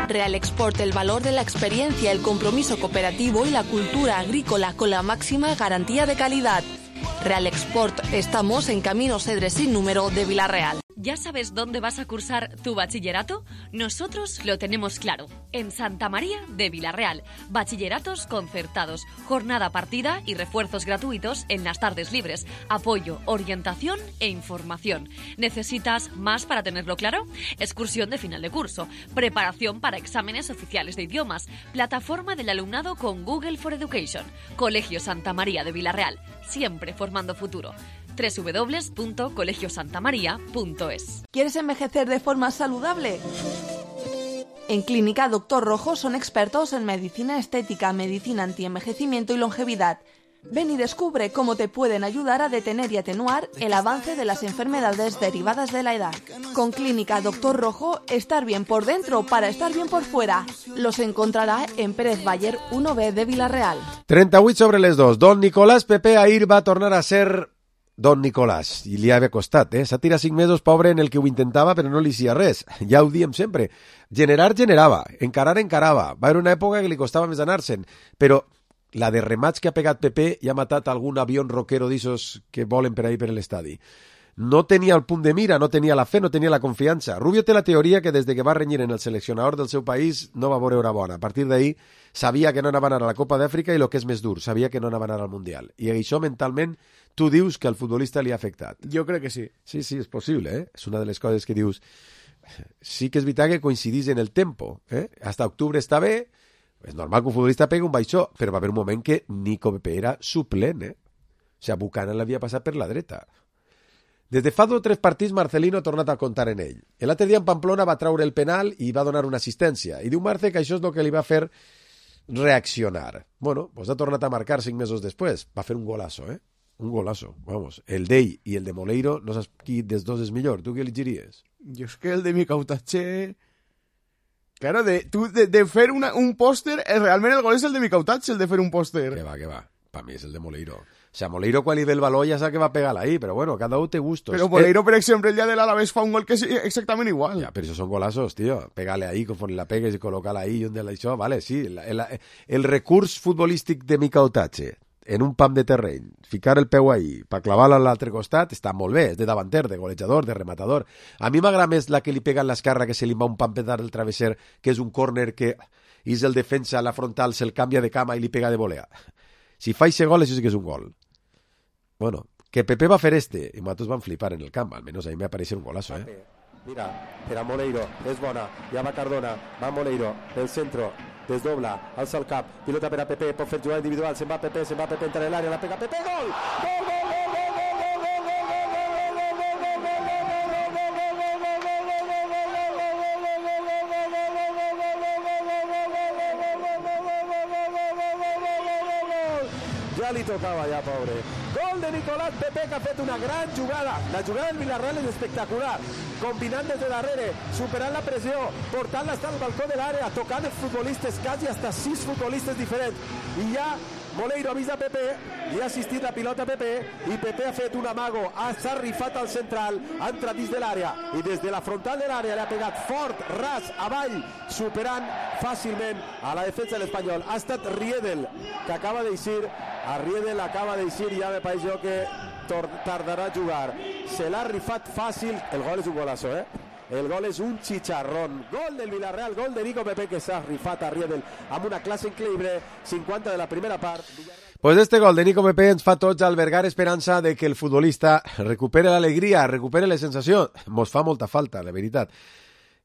Real Export, el valor de la experiencia, el compromiso cooperativo y la cultura agrícola con la máxima garantía de calidad. Real Export, estamos en Camino Cedres sin número de Villarreal. ¿Ya sabes dónde vas a cursar tu bachillerato? Nosotros lo tenemos claro. En Santa María de Villarreal. Bachilleratos concertados, jornada partida y refuerzos gratuitos en las tardes libres. Apoyo, orientación e información. ¿Necesitas más para tenerlo claro? Excursión de final de curso. Preparación para exámenes oficiales de idiomas. Plataforma del alumnado con Google for Education. Colegio Santa María de Villarreal. Siempre formando futuro. www.colegiosantamaria.es. ¿Quieres envejecer de forma saludable? En Clínica Dr. Rojo son expertos en medicina estética, medicina antienvejecimiento y longevidad. Ven y descubre cómo te pueden ayudar a detener y atenuar el avance de las enfermedades derivadas de la edad. Con Clínica Dr. Rojo, estar bien por dentro para estar bien por fuera. Los encontrará en Pérez Bayer 1B de Villarreal. 38 sobre les 2. Don Nicolás Pepe ahir va tornar a ser Don Nicolás, i li havia costat, S'ha tirat 5 mesos, pobre, en el que ho intentava, però no li sia res. Ja ho diem sempre. Generava. Encarava. Va haver una època que li costava més anar-se'n, però la de remats que ha pegat Pepe ja ha matat algun avió roquero d'issos que volen per ahir per l'estadi. No tenia el punt de mira, no tenia la fe, no tenia la confiança. Rubio té la teoria que des que va renyir en el seleccionador del seu país no va veure hora bona. A partir d'ahir sabia que no anava a anar a la Copa d'Àfrica i el que és més dur, sabia que no anava a anar al Mundial. I això mentalment tu dius que al futbolista li ha afectat. Jo crec que sí. Sí, és possible, És una de les coses que dius. Sí que és veritat que coincidís en el tempo, Hasta octubre està bé, és normal que un futbolista pegui un baixó, però va haver un moment que Nico Pepe era suplent, O sigui, Buchanan l'havia passat per la dreta. Des de fa 2 o 3 partits, Marcelino ha tornat a comptar en ell. L'altre dia en Pamplona va traure el penal i va donar una assistència. I diu Marce que això és el que li va fer reaccionar. Bueno, pues ha tornat a marcar 5 mesos després. Va fer un golazo, Un golazo, vamos. El d'ell i el de Moleiro, no saps qui dels dos és millor. Tu què elegiries? Jo és que el de Micautache... Claro, de fer un pòster, realment el gol és el de Micautache, el de fer un pòster. Que va. Per mi és el de Moleiro. O sea, Moleiro quan li ve el baló ja sap que va pegar ahí, però bueno, cada un té gustos. Però Moleiro, per exemple, el dia de l'Alavés fa un gol que és exactament igual. Ja, però això són golazos, tío. Pégale ahí, conforme la pegues i col·locar-la ahí, on això, vale, sí. El recurs futbolístic de Micautache en un pam de terreny, ficar el peu ahí per clavar-lo a l'altre costat, està molt bé, és de davanter, de golejador, de rematador. A mi m'agrada més la que li pega en l'esquerra, que se li va un pam pedar del travesser, que és un córner que és el defensa a la frontal, se'l canvia de cama i li pega de volea. Si fa ese gol, això sí que és un gol. Bueno, que Pepe va fer i nosaltres vam flipar en el camp, almenys a mi me pareix un golazo, Mira, per a Moleiro, és bona, ja va Cardona, va Moleiro, el centro, desdobla, alça el cap, pilota per a Pepe, pot fer jugada individual, se'n va Pepe, entra en l'àrea, la pega Pepe, gol! Gol, gol, gol, gol, gol, gol, gol, gol, ja li tocava ja, pobre. Gol de Nicolás Pepe, que ha fet una gran jugada. La jugada del Villarreal és espectacular, combinant des de darrere, superant la pressió, portant-la hasta el balcó de l'àrea, tocant els futbolistes, quasi hasta 6 futbolistes diferents. I ja Moleiro avisa a Pepe, li ha assistit la pilota a Pepe, i Pepe ha fet un amago, s'ha rifat al central, ha entrat dins de l'àrea, i des de la frontal de l'àrea li ha pegat fort, ras, avall, superant fàcilment a la defensa de l'Espanyol. Ha estat Riedel, que acaba d'eixir, a Riedel acaba d'eixir i ja me pareix jo que tardarà a jugar. Se l'ha rifat fàcil, el gol és un golazo, El gol és un chicharrón. Gol del Villarreal, gol de Nico Pepe, que s'ha rifat a Riedel amb una classe increïble, 50 de la primera part. Pues este gol de Nico Pepe ens fa tots albergar esperança de que el futbolista recupere l'alegria, recupere les sensacions. Mos fa molta falta, la veritat,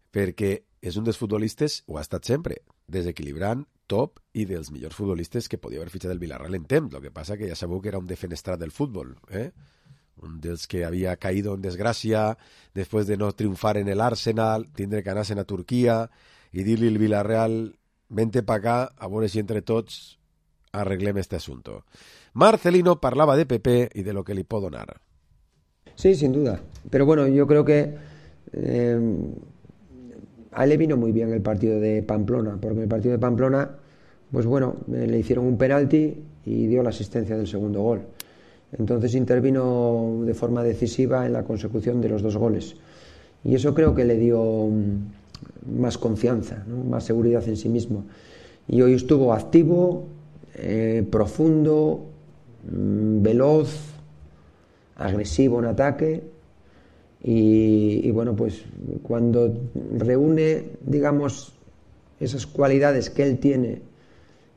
perquè és un dels futbolistes, ho ha estat sempre, desequilibrant, top i dels millors futbolistes que podia haver fitxat el Villarreal en temps. Lo que passa que ja sabeu que era un defenestrat del futbol, un dels que havia caído en desgràcia després de no triomfar en el Arsenal, tindre que anar-se'n a Turquia i dir-li al Villarreal, vente pa acá, a veure si entre tots arreglem este asunto. Marcelino parlava de Pepe y de lo que le puedo donar. Sí, sin duda. Pero bueno, yo creo que a él le vino muy bien el partido de Pamplona, porque en el partido de Pamplona, pues bueno, le hicieron un penalti y dio la asistencia del segundo gol. Entonces intervino de forma decisiva en la consecución de los 2 goles. Y eso creo que le dio más confianza, ¿no? Más seguridad en sí mismo. Y hoy estuvo activo, profundo, veloz, agresivo en ataque. Y bueno, pues cuando reúne, digamos, esas cualidades que él tiene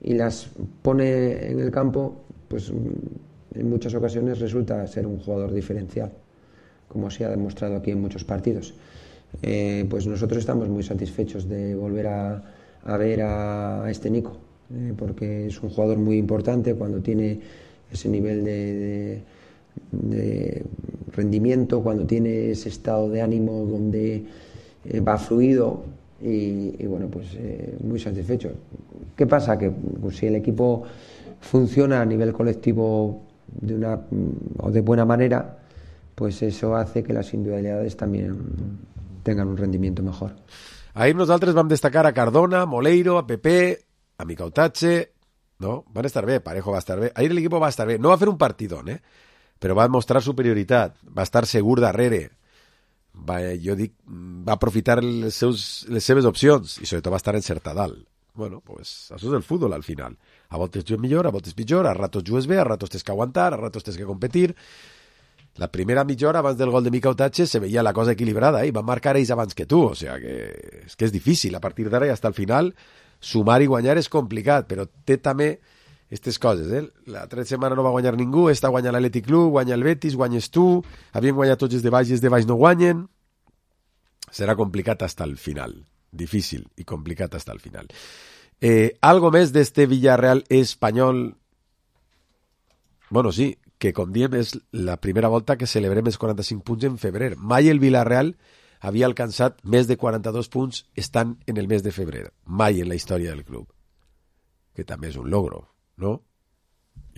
y las pone en el campo, pues en muchas ocasiones resulta ser un jugador diferencial, como se ha demostrado aquí en muchos partidos. Pues nosotros estamos muy satisfechos de volver a ver a este Nico, porque es un jugador muy importante cuando tiene ese nivel de rendimiento, cuando tiene ese estado de ánimo donde va fluido y bueno, pues muy satisfecho. ¿Qué pasa? Que pues, si el equipo funciona a nivel colectivo de buena manera, pues eso hace que las individualidades también tengan un rendimiento mejor. Ahir nosaltres vam destacar a Cardona, Moleiro, a Pepe, a Micautache, no? Van estar bé, Parejo va estar bé. Ahir l'equip va estar bé. No va fer un partidón, però va mostrar superioritat, va estar segur darrere, va aprofitar les seves opcions i sobretot va estar encertat dalt. Bueno, pues això és el futbol al final. A voltes jugues millor, a voltes pitjor, a ratos jugues bé, a ratos tens que aguantar, a ratos tens que competir. La primera mitja hora abans del gol de Micautache se veia la cosa equilibrada i van marcar ells abans que tu, o sea que és difícil. A partir d'ara i hasta el final sumar i guanyar és complicat, però té també aquestes coses. L'altra setmana no va guanyar ningú, esta guanya l'Atlètic Club, guanya el Betis, guanyes tu, havien guanyat tots els de baix i els de baix no guanyen. Serà complicat hasta el final. Difícil i complicat hasta el final. Algo més d'este Villarreal espanyol? Bueno, sí, que com diem és la primera volta que celebrem els 45 punts en febrer. Mai el Villarreal havia alcançat més de 42 punts estant en el mes de febrer. Mai en la història del club. Que també és un logro, no?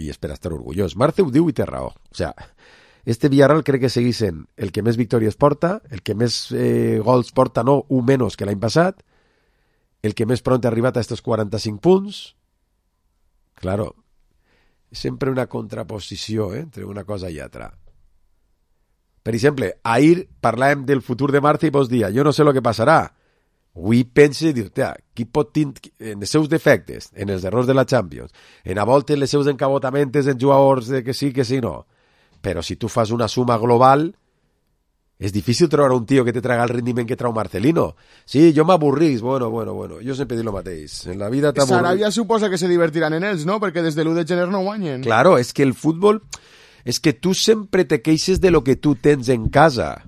I és per estar orgullós. Marce ho diu i té raó. O sea, este Villarreal crec que segueix sent el que més victòries porta, el que més gols porta, no un menys que l'any passat, el que més pront ha arribat a estos 45 punts. Claro, sempre una contraposició entre una cosa i altra. Per exemple, ahir parlàvem del futur de Marce i vos dia, jo no sé el que passarà. Avui pense i dir-te, qui pot tenir en els seus defectes, en els errors de la Champions, en a voltes les seus encabotamentes en jugadors de que sí, no. Però si tu fas una suma global, és difícil trobar un tio que te traga el rendiment que trau Marcelino. Sí, jo m'avorrís, bueno, jo sempre dic el mateix. En la vida t'avorrís. Sarabia suposa que se divertiran en ells, no? Perquè des de l'1 de gener no guanyen. Claro, és que el futbol... És que tu sempre te queixes de lo que tu tens en casa.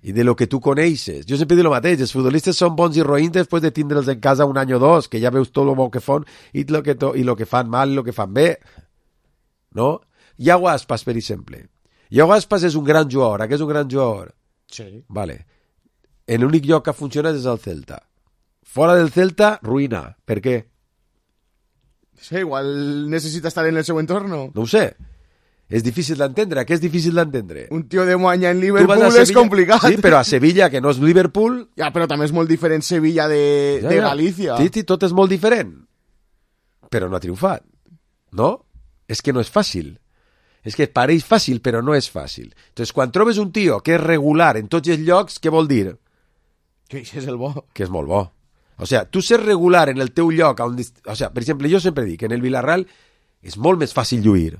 i de lo que tu coneixes. Jo sempre dic el mateix, els futbolistes són bons i roïns després de tindre'ls en casa un any o dos, que ja veus tot el bo que fan i lo que fan mal i lo que fan bé. No? Iago Aspas, per exemple. Iago Aspas és un gran jugador. Aquest és un gran jugador. Sí. Vale. L'únic lloc que funciona és el Celta. Fora del Celta, ruïna. Per què? Sí, igual necessita estar en el seu entorno. No ho sé. És difícil d'entendre. Què és difícil d'entendre? Un tio de Moaña en Liverpool és complicat. Sí, però a Sevilla, que no és Liverpool... Ja, però també és molt diferent Sevilla de Galícia. Sí, tot és molt diferent. Però no ha triomfat. No? És que no és fàcil. És que pareix fàcil, però no és fàcil. Entonces, quan trobes un tio que és regular en tots els llocs, què vol dir? Que és el bo. Que és molt bo. O sea, tu ser regular en el teu lloc, o sea, per exemple, jo sempre dic que en el Villarreal és molt més fàcil lluir.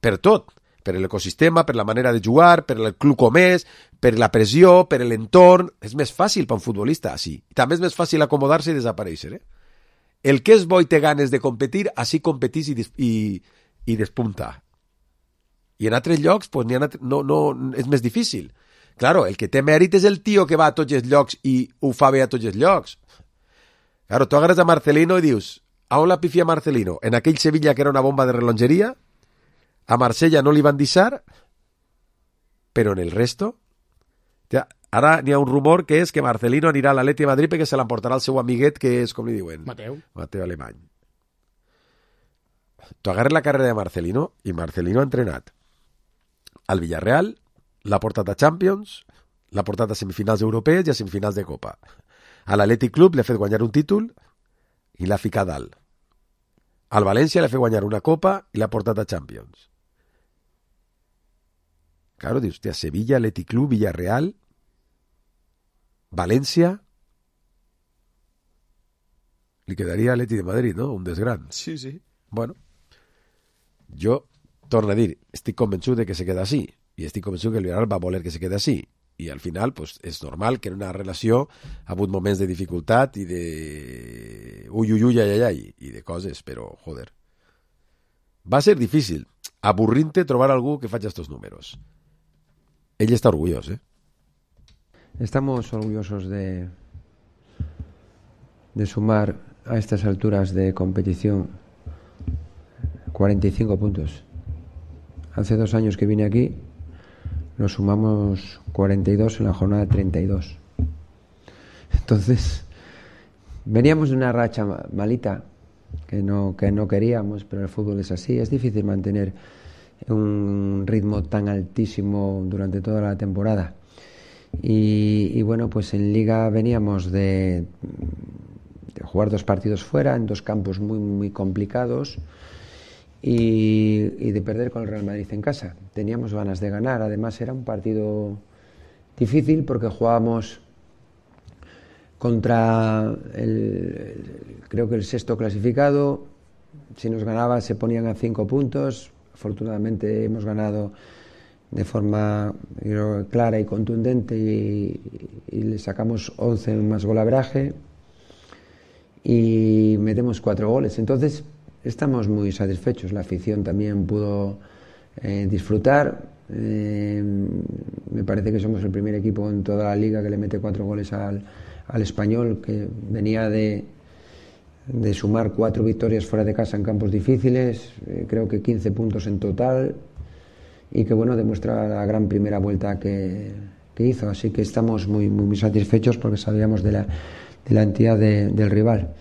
Per tot. Per l'ecosistema, per la manera de jugar, per el club com és, per la pressió, per l'entorn. És més fàcil per un futbolista, així. També és més fàcil acomodar-se i desaparèixer. El que és bo i té ganes de competir, així competís i despunta. I en altres llocs, pues, no, és més difícil. Claro, el que té mèrit és el tio que va a tots els llocs i ho fa bé a tots els llocs. Claro, tu agarres a Marcelino i dius, a on la pifia Marcelino? En aquell Sevilla que era una bomba de relongeria? A Marsella no li van deixar? Però en el resto? Ja, ara n'hi ha un rumor que és que Marcelino anirà a l'Atleti de Madrid perquè se l'emportarà el seu amiguet, que és, com li diuen? Mateu Alemany. Tu agarres la carrera de Marcelino i Marcelino ha entrenat al Villarreal, l'ha portat a Champions, l'ha portat a semifinals europees i a semifinals de Copa. A l'Atlètic Club l'ha fet guanyar un títol i l'ha ficat dalt. Al València l'ha fet guanyar una Copa i l'ha portat a Champions. Claro, dius, hòstia, Sevilla, Atlètic Club, Villarreal, València... Li quedaria Atleti de Madrid, no? Un desgran. Sí, sí. Bueno, jo, torno a dir, estic convençut de que se queda així. I estic convençut que el Villarreal va voler que se quedi així. I al final, pues, és normal que en una relació ha hagut moments de dificultat i de... Ui, i de coses, però, joder. Va ser difícil, avorrint-te trobar algú que faci estos números. Ell està orgullós, Estamos orgullosos de sumar a estas alturas de competición 45 puntos. Hace 2 años que vine aquí, nos sumamos 42 en la jornada 32. Entonces, veníamos de una racha malita que no queríamos, pero el fútbol es así. Es difícil mantener un ritmo tan altísimo durante toda la temporada. Y bueno, pues en Liga veníamos de jugar 2 partidos fuera, en 2 campos muy, muy complicados, y de perder con el Real Madrid en casa. Teníamos ganas de ganar. Además era un partido difícil porque jugábamos contra creo que el 6º clasificado. Si nos ganaba se ponían a 5 puntos. Afortunadamente hemos ganado de forma clara y contundente y le sacamos 11 más golaveraje y metemos 4 goles. Entonces estamos muy satisfechos. La afición también pudo disfrutar. Me parece que somos el primer equipo en toda la liga que le mete 4 goles al Español, que venía de sumar 4 victorias fuera de casa en campos difíciles, creo que 15 puntos en total, y que bueno, demuestra la gran primera vuelta que hizo. Así que estamos muy, muy, muy satisfechos porque sabíamos de la entidad del rival.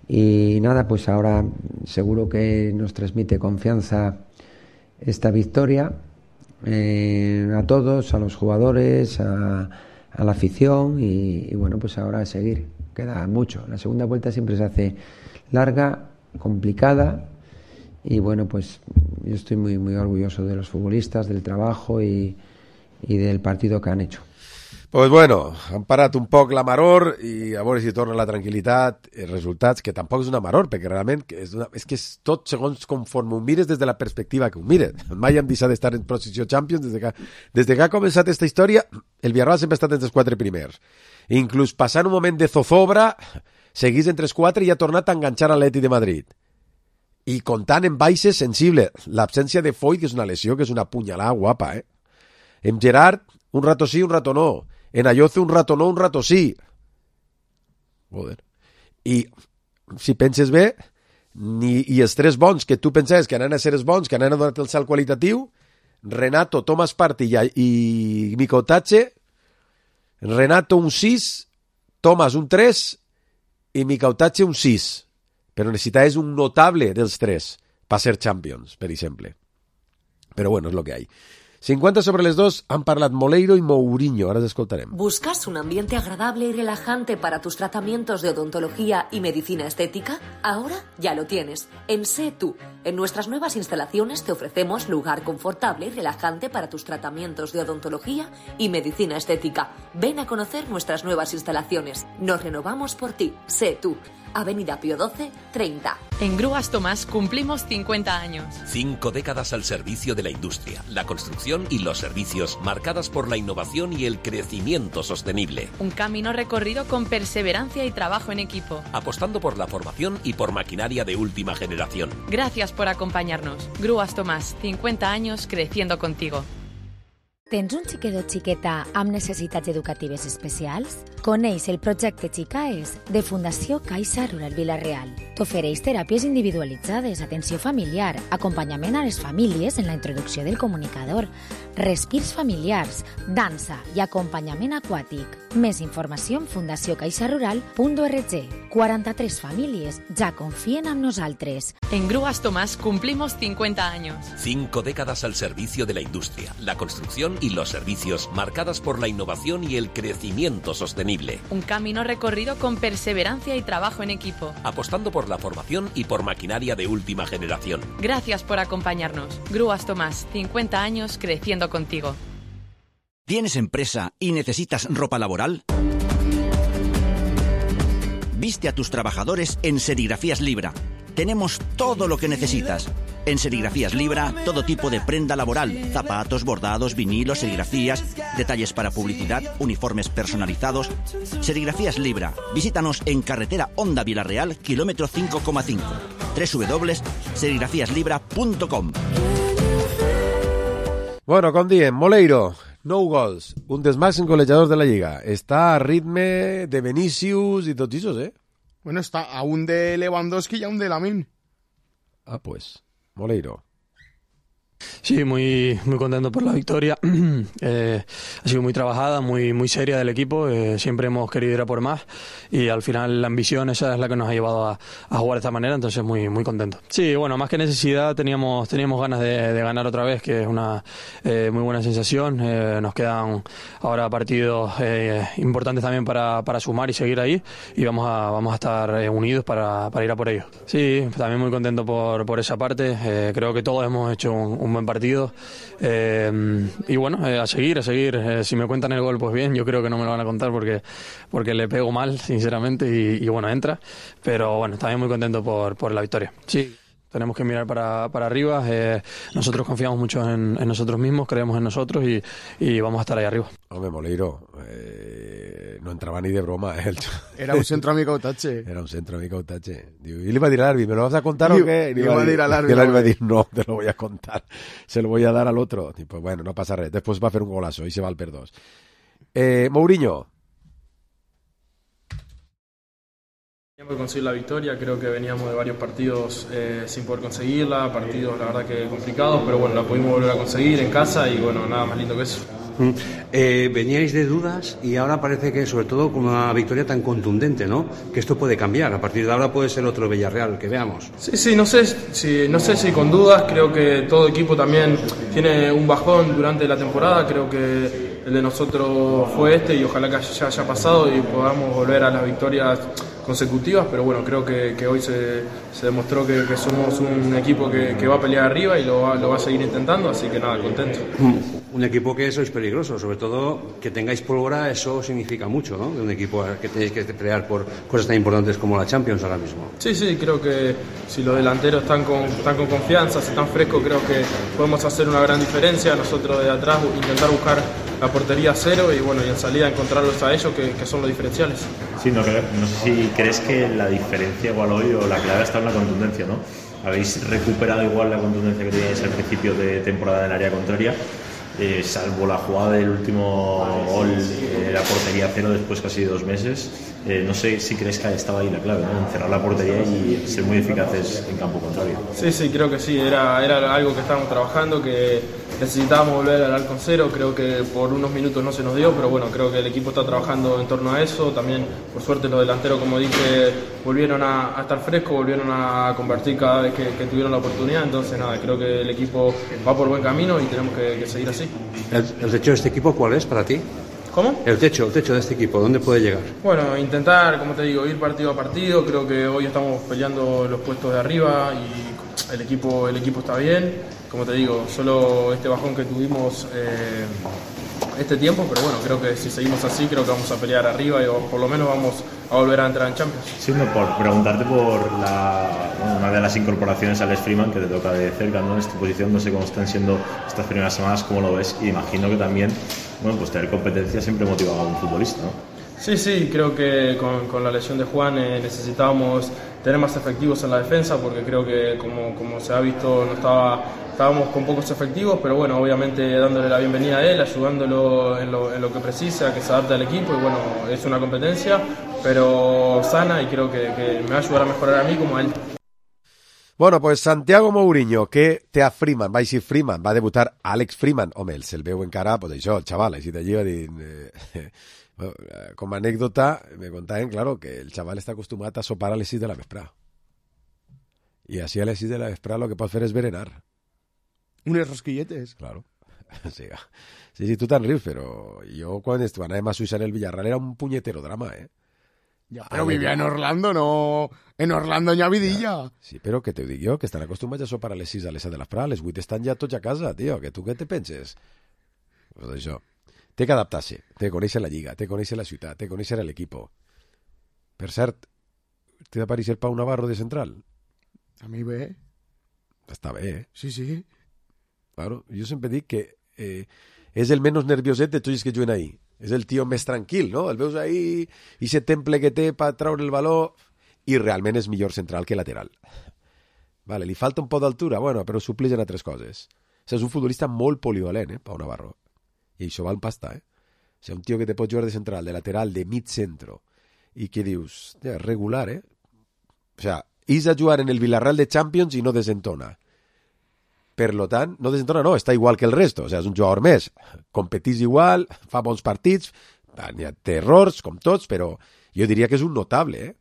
Y nada, pues ahora seguro que nos transmite confianza esta victoria a todos, a los jugadores, a la afición y bueno, pues ahora a seguir. Queda mucho. La segunda vuelta siempre se hace larga, complicada y bueno, pues yo estoy muy, muy orgulloso de los futbolistas, del trabajo y del partido que han hecho. Pues bueno, han parat un poc la maror i a veure si torna la tranquil·litat, els resultats, que tampoc és una maror, perquè realment és que és tot segons conforme ho mires des de la perspectiva que ho mires. Mai hem deixat d'estar en posició Champions des que ha començat aquesta història. El Villarreal sempre ha estat entre els 4 primers. Inclús passant un moment de zozobra, seguís entre els 4 i ha tornat a enganxar a l'Atlètic de Madrid. I comptant en baixes sensibles. L'absència de Foyt, que és una lesió, que és una punyalada guapa, En Gerard, un rato sí, un rato no. En Ayoce un rato no, un rato sí. Joder. I si penses bé, i els 3 bons que tu pensaves que anaven a ser els bons, que anaven a donar el salt qualitatiu, Renato, Thomas Partey i Mikotache, Renato un 6, Thomas un 3 i Mikotache un 6. Però necessitaves un notable dels 3 per ser Champions, per exemple. Però bueno, és lo que hay. 50 sobre les 2 han parlat Moleiro y Mourinho, ahora les escoltarem. ¿Buscas un ambiente agradable y relajante para tus tratamientos de odontología y medicina estética? Ahora ya lo tienes, en Sé Tú. En nuestras nuevas instalaciones te ofrecemos lugar confortable y relajante para tus tratamientos de odontología y medicina estética. Ven a conocer nuestras nuevas instalaciones. Nos renovamos por ti. Sé Tú. Avenida Pío XII, 30. En Grúas Tomás cumplimos 50 años. 5 décadas al servicio de la industria, la construcción y los servicios, marcadas por la innovación y el crecimiento sostenible. Un camino recorrido con perseverancia y trabajo en equipo. Apostando por la formación y por maquinaria de última generación. Gracias por acompañarnos. Grúas Tomás, 50 años creciendo contigo. Tens un xiquet o xiqueta amb necessitats educatives especials? Coneix el projecte Xicaes de Fundació Caixa Rural Vila-real. T'ofereix teràpies individualitzades, atenció familiar, acompanyament a les famílies en la introducció del comunicador, respirs familiars, dansa i acompanyament aquàtic. Més informació en fundaciocaixarural.org. 43 famílies ja confien en nosaltres. En Grúas Tomás cumplimos 50 años. 5 décadas al servicio de la industria, la construcción y los servicios, marcadas por la innovación y el crecimiento sostenible. Un camino recorrido con perseverancia y trabajo en equipo. Apostando por la formación y por maquinaria de última generación. Gracias por acompañarnos. Grúas Tomás, 50 años creciendo contigo. ¿Tienes empresa y necesitas ropa laboral? Viste a tus trabajadores en Serigrafías Libra. Tenemos todo lo que necesitas. En Serigrafías Libra, todo tipo de prenda laboral, zapatos, bordados, vinilos, serigrafías, detalles para publicidad, uniformes personalizados. Serigrafías Libra. Visítanos en carretera Honda Vila-real, kilómetro 5,5. www.serigrafíaslibra.com. Bueno, com diem, Moleiro, 9 gols, un dels màxims golejadors de la Lliga. Està a ritme de Vinícius i tots aquests, Bueno, está a un de Lewandowski y a un de Lamine. Ah, pues, Moleiro. Sí, muy contento por la victoria. Ha sido muy trabajada, muy seria del equipo. Siempre hemos querido ir a por más y al final la ambición esa es la que nos ha llevado a jugar de esta manera, entonces muy contento. Sí, bueno, más que necesidad teníamos ganas de ganar otra vez, que es una muy buena sensación. Nos quedan ahora partidos importantes también para sumar y seguir ahí y vamos a estar unidos para ir a por ellos. Sí, también muy contento por esa parte. Creo que todos hemos hecho un buen partido y bueno, a seguir. Si me cuentan el gol, pues bien, yo creo que no me lo van a contar porque le pego mal, sinceramente, y bueno, entra, pero bueno, también muy contento por la victoria. Sí, tenemos que mirar para arriba. Nosotros confiamos mucho en nosotros mismos, creemos en nosotros y vamos a estar ahí arriba. Hombre, Moleiro, no entraba ni de broma. Era un centro a Mikotache. Era un centro a Mikotache. Y le iba a decir al árbitro, ¿me lo vas a contar o qué? Le iba a decir al árbitro. Le iba a decir, no, te lo voy a contar. Se lo voy a dar al otro. Tipo, bueno, no pasa nada. Después va a hacer un golazo y se va al per 2. Mourinho. Por conseguir la victoria, creo que veníamos de varios partidos sin poder conseguirla, partidos la verdad que complicados, pero bueno, la pudimos volver a conseguir en casa y bueno, nada más lindo que eso. Veníais de dudas y ahora parece que sobre todo con una victoria tan contundente, ¿no? Que esto puede cambiar, a partir de ahora puede ser otro Villarreal que veamos. Sí, no sé si con dudas, creo que todo equipo también tiene un bajón durante la temporada, creo que el de nosotros fue y ojalá que ya haya pasado y podamos volver a las victorias consecutivas, pero bueno, creo que hoy se demostró que somos un equipo que va a pelear arriba y lo va a seguir intentando, así que nada, contento. Un equipo que sois peligroso, sobre todo que tengáis pólvora, eso significa mucho, ¿no? De un equipo que tenéis que pelear por cosas tan importantes como la Champions ahora mismo. Sí, creo que si los delanteros están con confianza, si están frescos, creo que podemos hacer una gran diferencia. Nosotros de atrás intentar buscar la portería a cero y bueno, y en salida encontrarlos a ellos que son los diferenciales. Sí, no sé si crees que la diferencia igual hoy o la clave está en la contundencia, ¿no? Habéis recuperado igual la contundencia que teníais al principio de temporada en el área contraria salvo la jugada del último gol, la portería cero después casi de 2 meses, no sé si crees que estaba ahí la clave, ¿no? En cerrar la portería y ser muy eficaces en campo contrario. Sí, creo que sí, era algo que estábamos trabajando, que necesitábamos volver al arco cero. Creo que por unos minutos no se nos dio, pero bueno, creo que el equipo está trabajando en torno a eso. También, por suerte, los delanteros, como dije, volvieron a estar frescos, volvieron a convertir cada vez que tuvieron la oportunidad. Entonces, nada, creo que el equipo va por buen camino y tenemos que seguir así. ¿El techo de este equipo cuál es para ti? ¿Cómo? El techo de este equipo, ¿dónde puede llegar? Bueno, intentar, como te digo, ir partido a partido. Creo que hoy estamos peleando los puestos de arriba y el equipo está bien. Como te digo, solo este bajón que tuvimos este tiempo, pero bueno, creo que si seguimos así, creo que vamos a pelear arriba y por lo menos vamos a volver a entrar en Champions. Sí, por preguntarte por una de las incorporaciones a Alex Freeman, que te toca de cerca, ¿no? En esta posición, no sé cómo están siendo estas primeras semanas, cómo lo ves, y imagino que también, bueno, pues tener competencia siempre motiva a un futbolista, ¿no? Sí, creo que con la lesión de Juan necesitábamos tener más efectivos en la defensa, porque creo que como se ha visto estábamos con pocos efectivos, pero bueno, obviamente dándole la bienvenida a él, ayudándolo en lo que precisa, que se adapte al equipo, y bueno, es una competencia, pero sana, y creo que me va a ayudar a mejorar a mí como a él. Bueno, pues Santiago Mourinho, que té a Freeman, va a Freeman, va a debutar Alex Freeman. Home, se'l veu encara, pues això, el chaval, així d'allí va dir... Bueno, com a anècdota, me contaven, claro, que el chaval està acostumat a sopar a les 6 de la vesprà. I així a les 6 de la vesprà lo que pot fer és berenar. Unes rosquilletes. Claro. Sí, tu te'n rius, però jo quan anàvem a Suïssa en el Villarreal era un punyetero drama, Ja, però vivia en Orlando, no... En Orlando n'hi ha vidilla. Ja. Sí, però que t'ho dic jo, que estan acostumats a sopar a les 6 a les 7 de la vesprà, a les 8 estan ja tots a casa, tio, que tu què te penses? Pues això. Té que adaptar-se, té que conèixer la lliga, té que conèixer la ciutat, té que conèixer l'equip. Per cert, té d'aparèixer Pau Navarro de central? A mi bé. Està bé, Sí. Claro, jo sempre dic que és el menys nervioset de tots els que juguen ahí. És el tio més tranquil, no? El veus ahí, i ese temple que té per treure el valor, i realment és millor central que lateral. Vale, li falta un poc d'altura, bueno, però supleix en altres coses. O sigui, és un futbolista molt polivalent, Pau Navarro. I això val pasta, O sigui, un tio que te pot jugar de central, de lateral, de mig centro, i que dius, regular, O sigui, és a jugar en el Villarreal de Champions i no desentona. Per lo tant, no desentona, no, està igual que el resto, o sigui, és un jugador més, competís igual, fa bons partits, té errors, com tots, però jo diria que és un notable,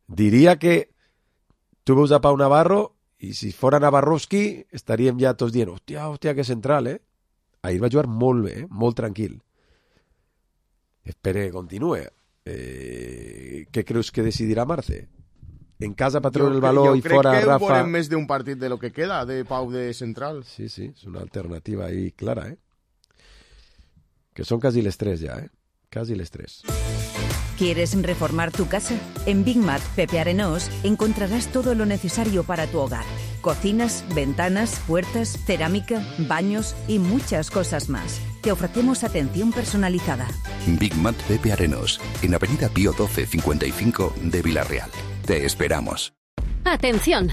Diria que tu veus a Pau Navarro i si fora Navarrovski estaríem ja tots dient, hòstia, que central, Ahir va jugar molt bé, molt tranquil. Espero que continue. Què creus que decidirà Marce? En casa per treure el valor i fora Rafa... Jo crec que veurem més d'un partit de lo que queda de Pau de central. Sí, és una alternativa ahí clara, Que son casi les 3 ya, Casi les 3. ¿Quieres reformar tu casa? En Big Mat Pepe Arenós encontrarás todo lo necesario para tu hogar. Cocinas, ventanas, puertas, cerámica, baños y muchas cosas más. Te ofrecemos atención personalizada. Big Mat Pepe Arenós, en Avenida Pío 12 55 de Villarreal. Te esperamos. ¡Atención!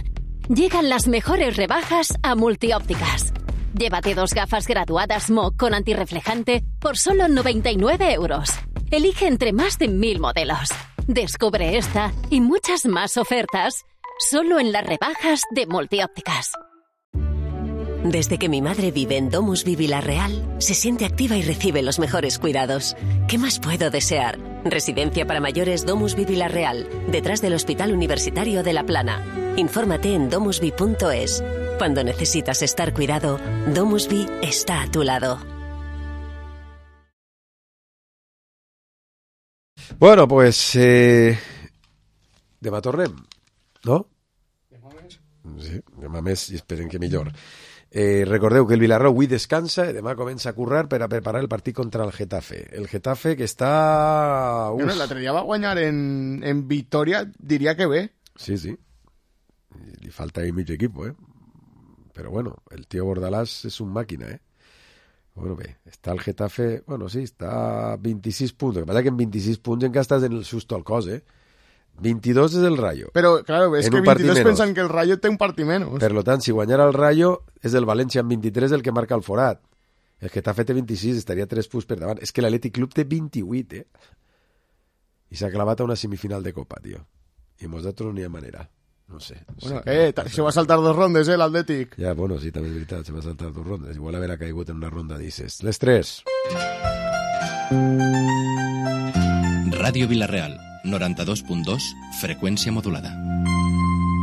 Llegan las mejores rebajas a Multiópticas. Llévate 2 gafas graduadas MOC con antirreflejante por solo 99 euros. Elige entre más de 1000 modelos. Descubre esta y muchas más ofertas solo en las rebajas de Multiópticas. Desde que mi madre vive en Domusvi Villarreal, se siente activa y recibe los mejores cuidados. ¿Qué más puedo desear? Residencia para mayores Domusvi Villarreal, detrás del Hospital Universitario de La Plana. Infórmate en domusvi.es. Cuando necesitas estar cuidado, Domusvi está a tu lado. Bueno, pues demà tornem, no? Sí, demà més i esperem que millor. Recordeu que el Villarreal avui descansa i demà comença a currar per a preparar el partit contra el Getafe. El Getafe que està... Bueno, l'altre dia va guanyar en Victòria, diria que bé. Sí. Li falta ahí mig equip, Però bueno, el tio Bordalàs és un màquina, Bueno, bé, està el Getafe... Bueno, sí, està a 26 punts. El que passa que en 26 punts encara estàs en el susto al cos, 22 és el Rayo. Però, claro, és que 22 pensen que el Rayo té un partit menys. Per lo tant, si guanyara el Rayo, és el València amb 23 el que marca el forat. El Getafe té 26, estaria 3 punts per davant. És que l'Atlètic Club té 28, I s'ha clavat a una semifinal de Copa, tio. I nosaltres no hi ha manera. No sé. Bueno, se va a saltar 2 rondes, l'Atlètic. Ja, bueno, sí, també és veritat, se va a saltar 2 rondes. Igual haver caigut en una ronda d'Ises. Les 3. Ràdio Vila-real, 92.2, freqüència modulada.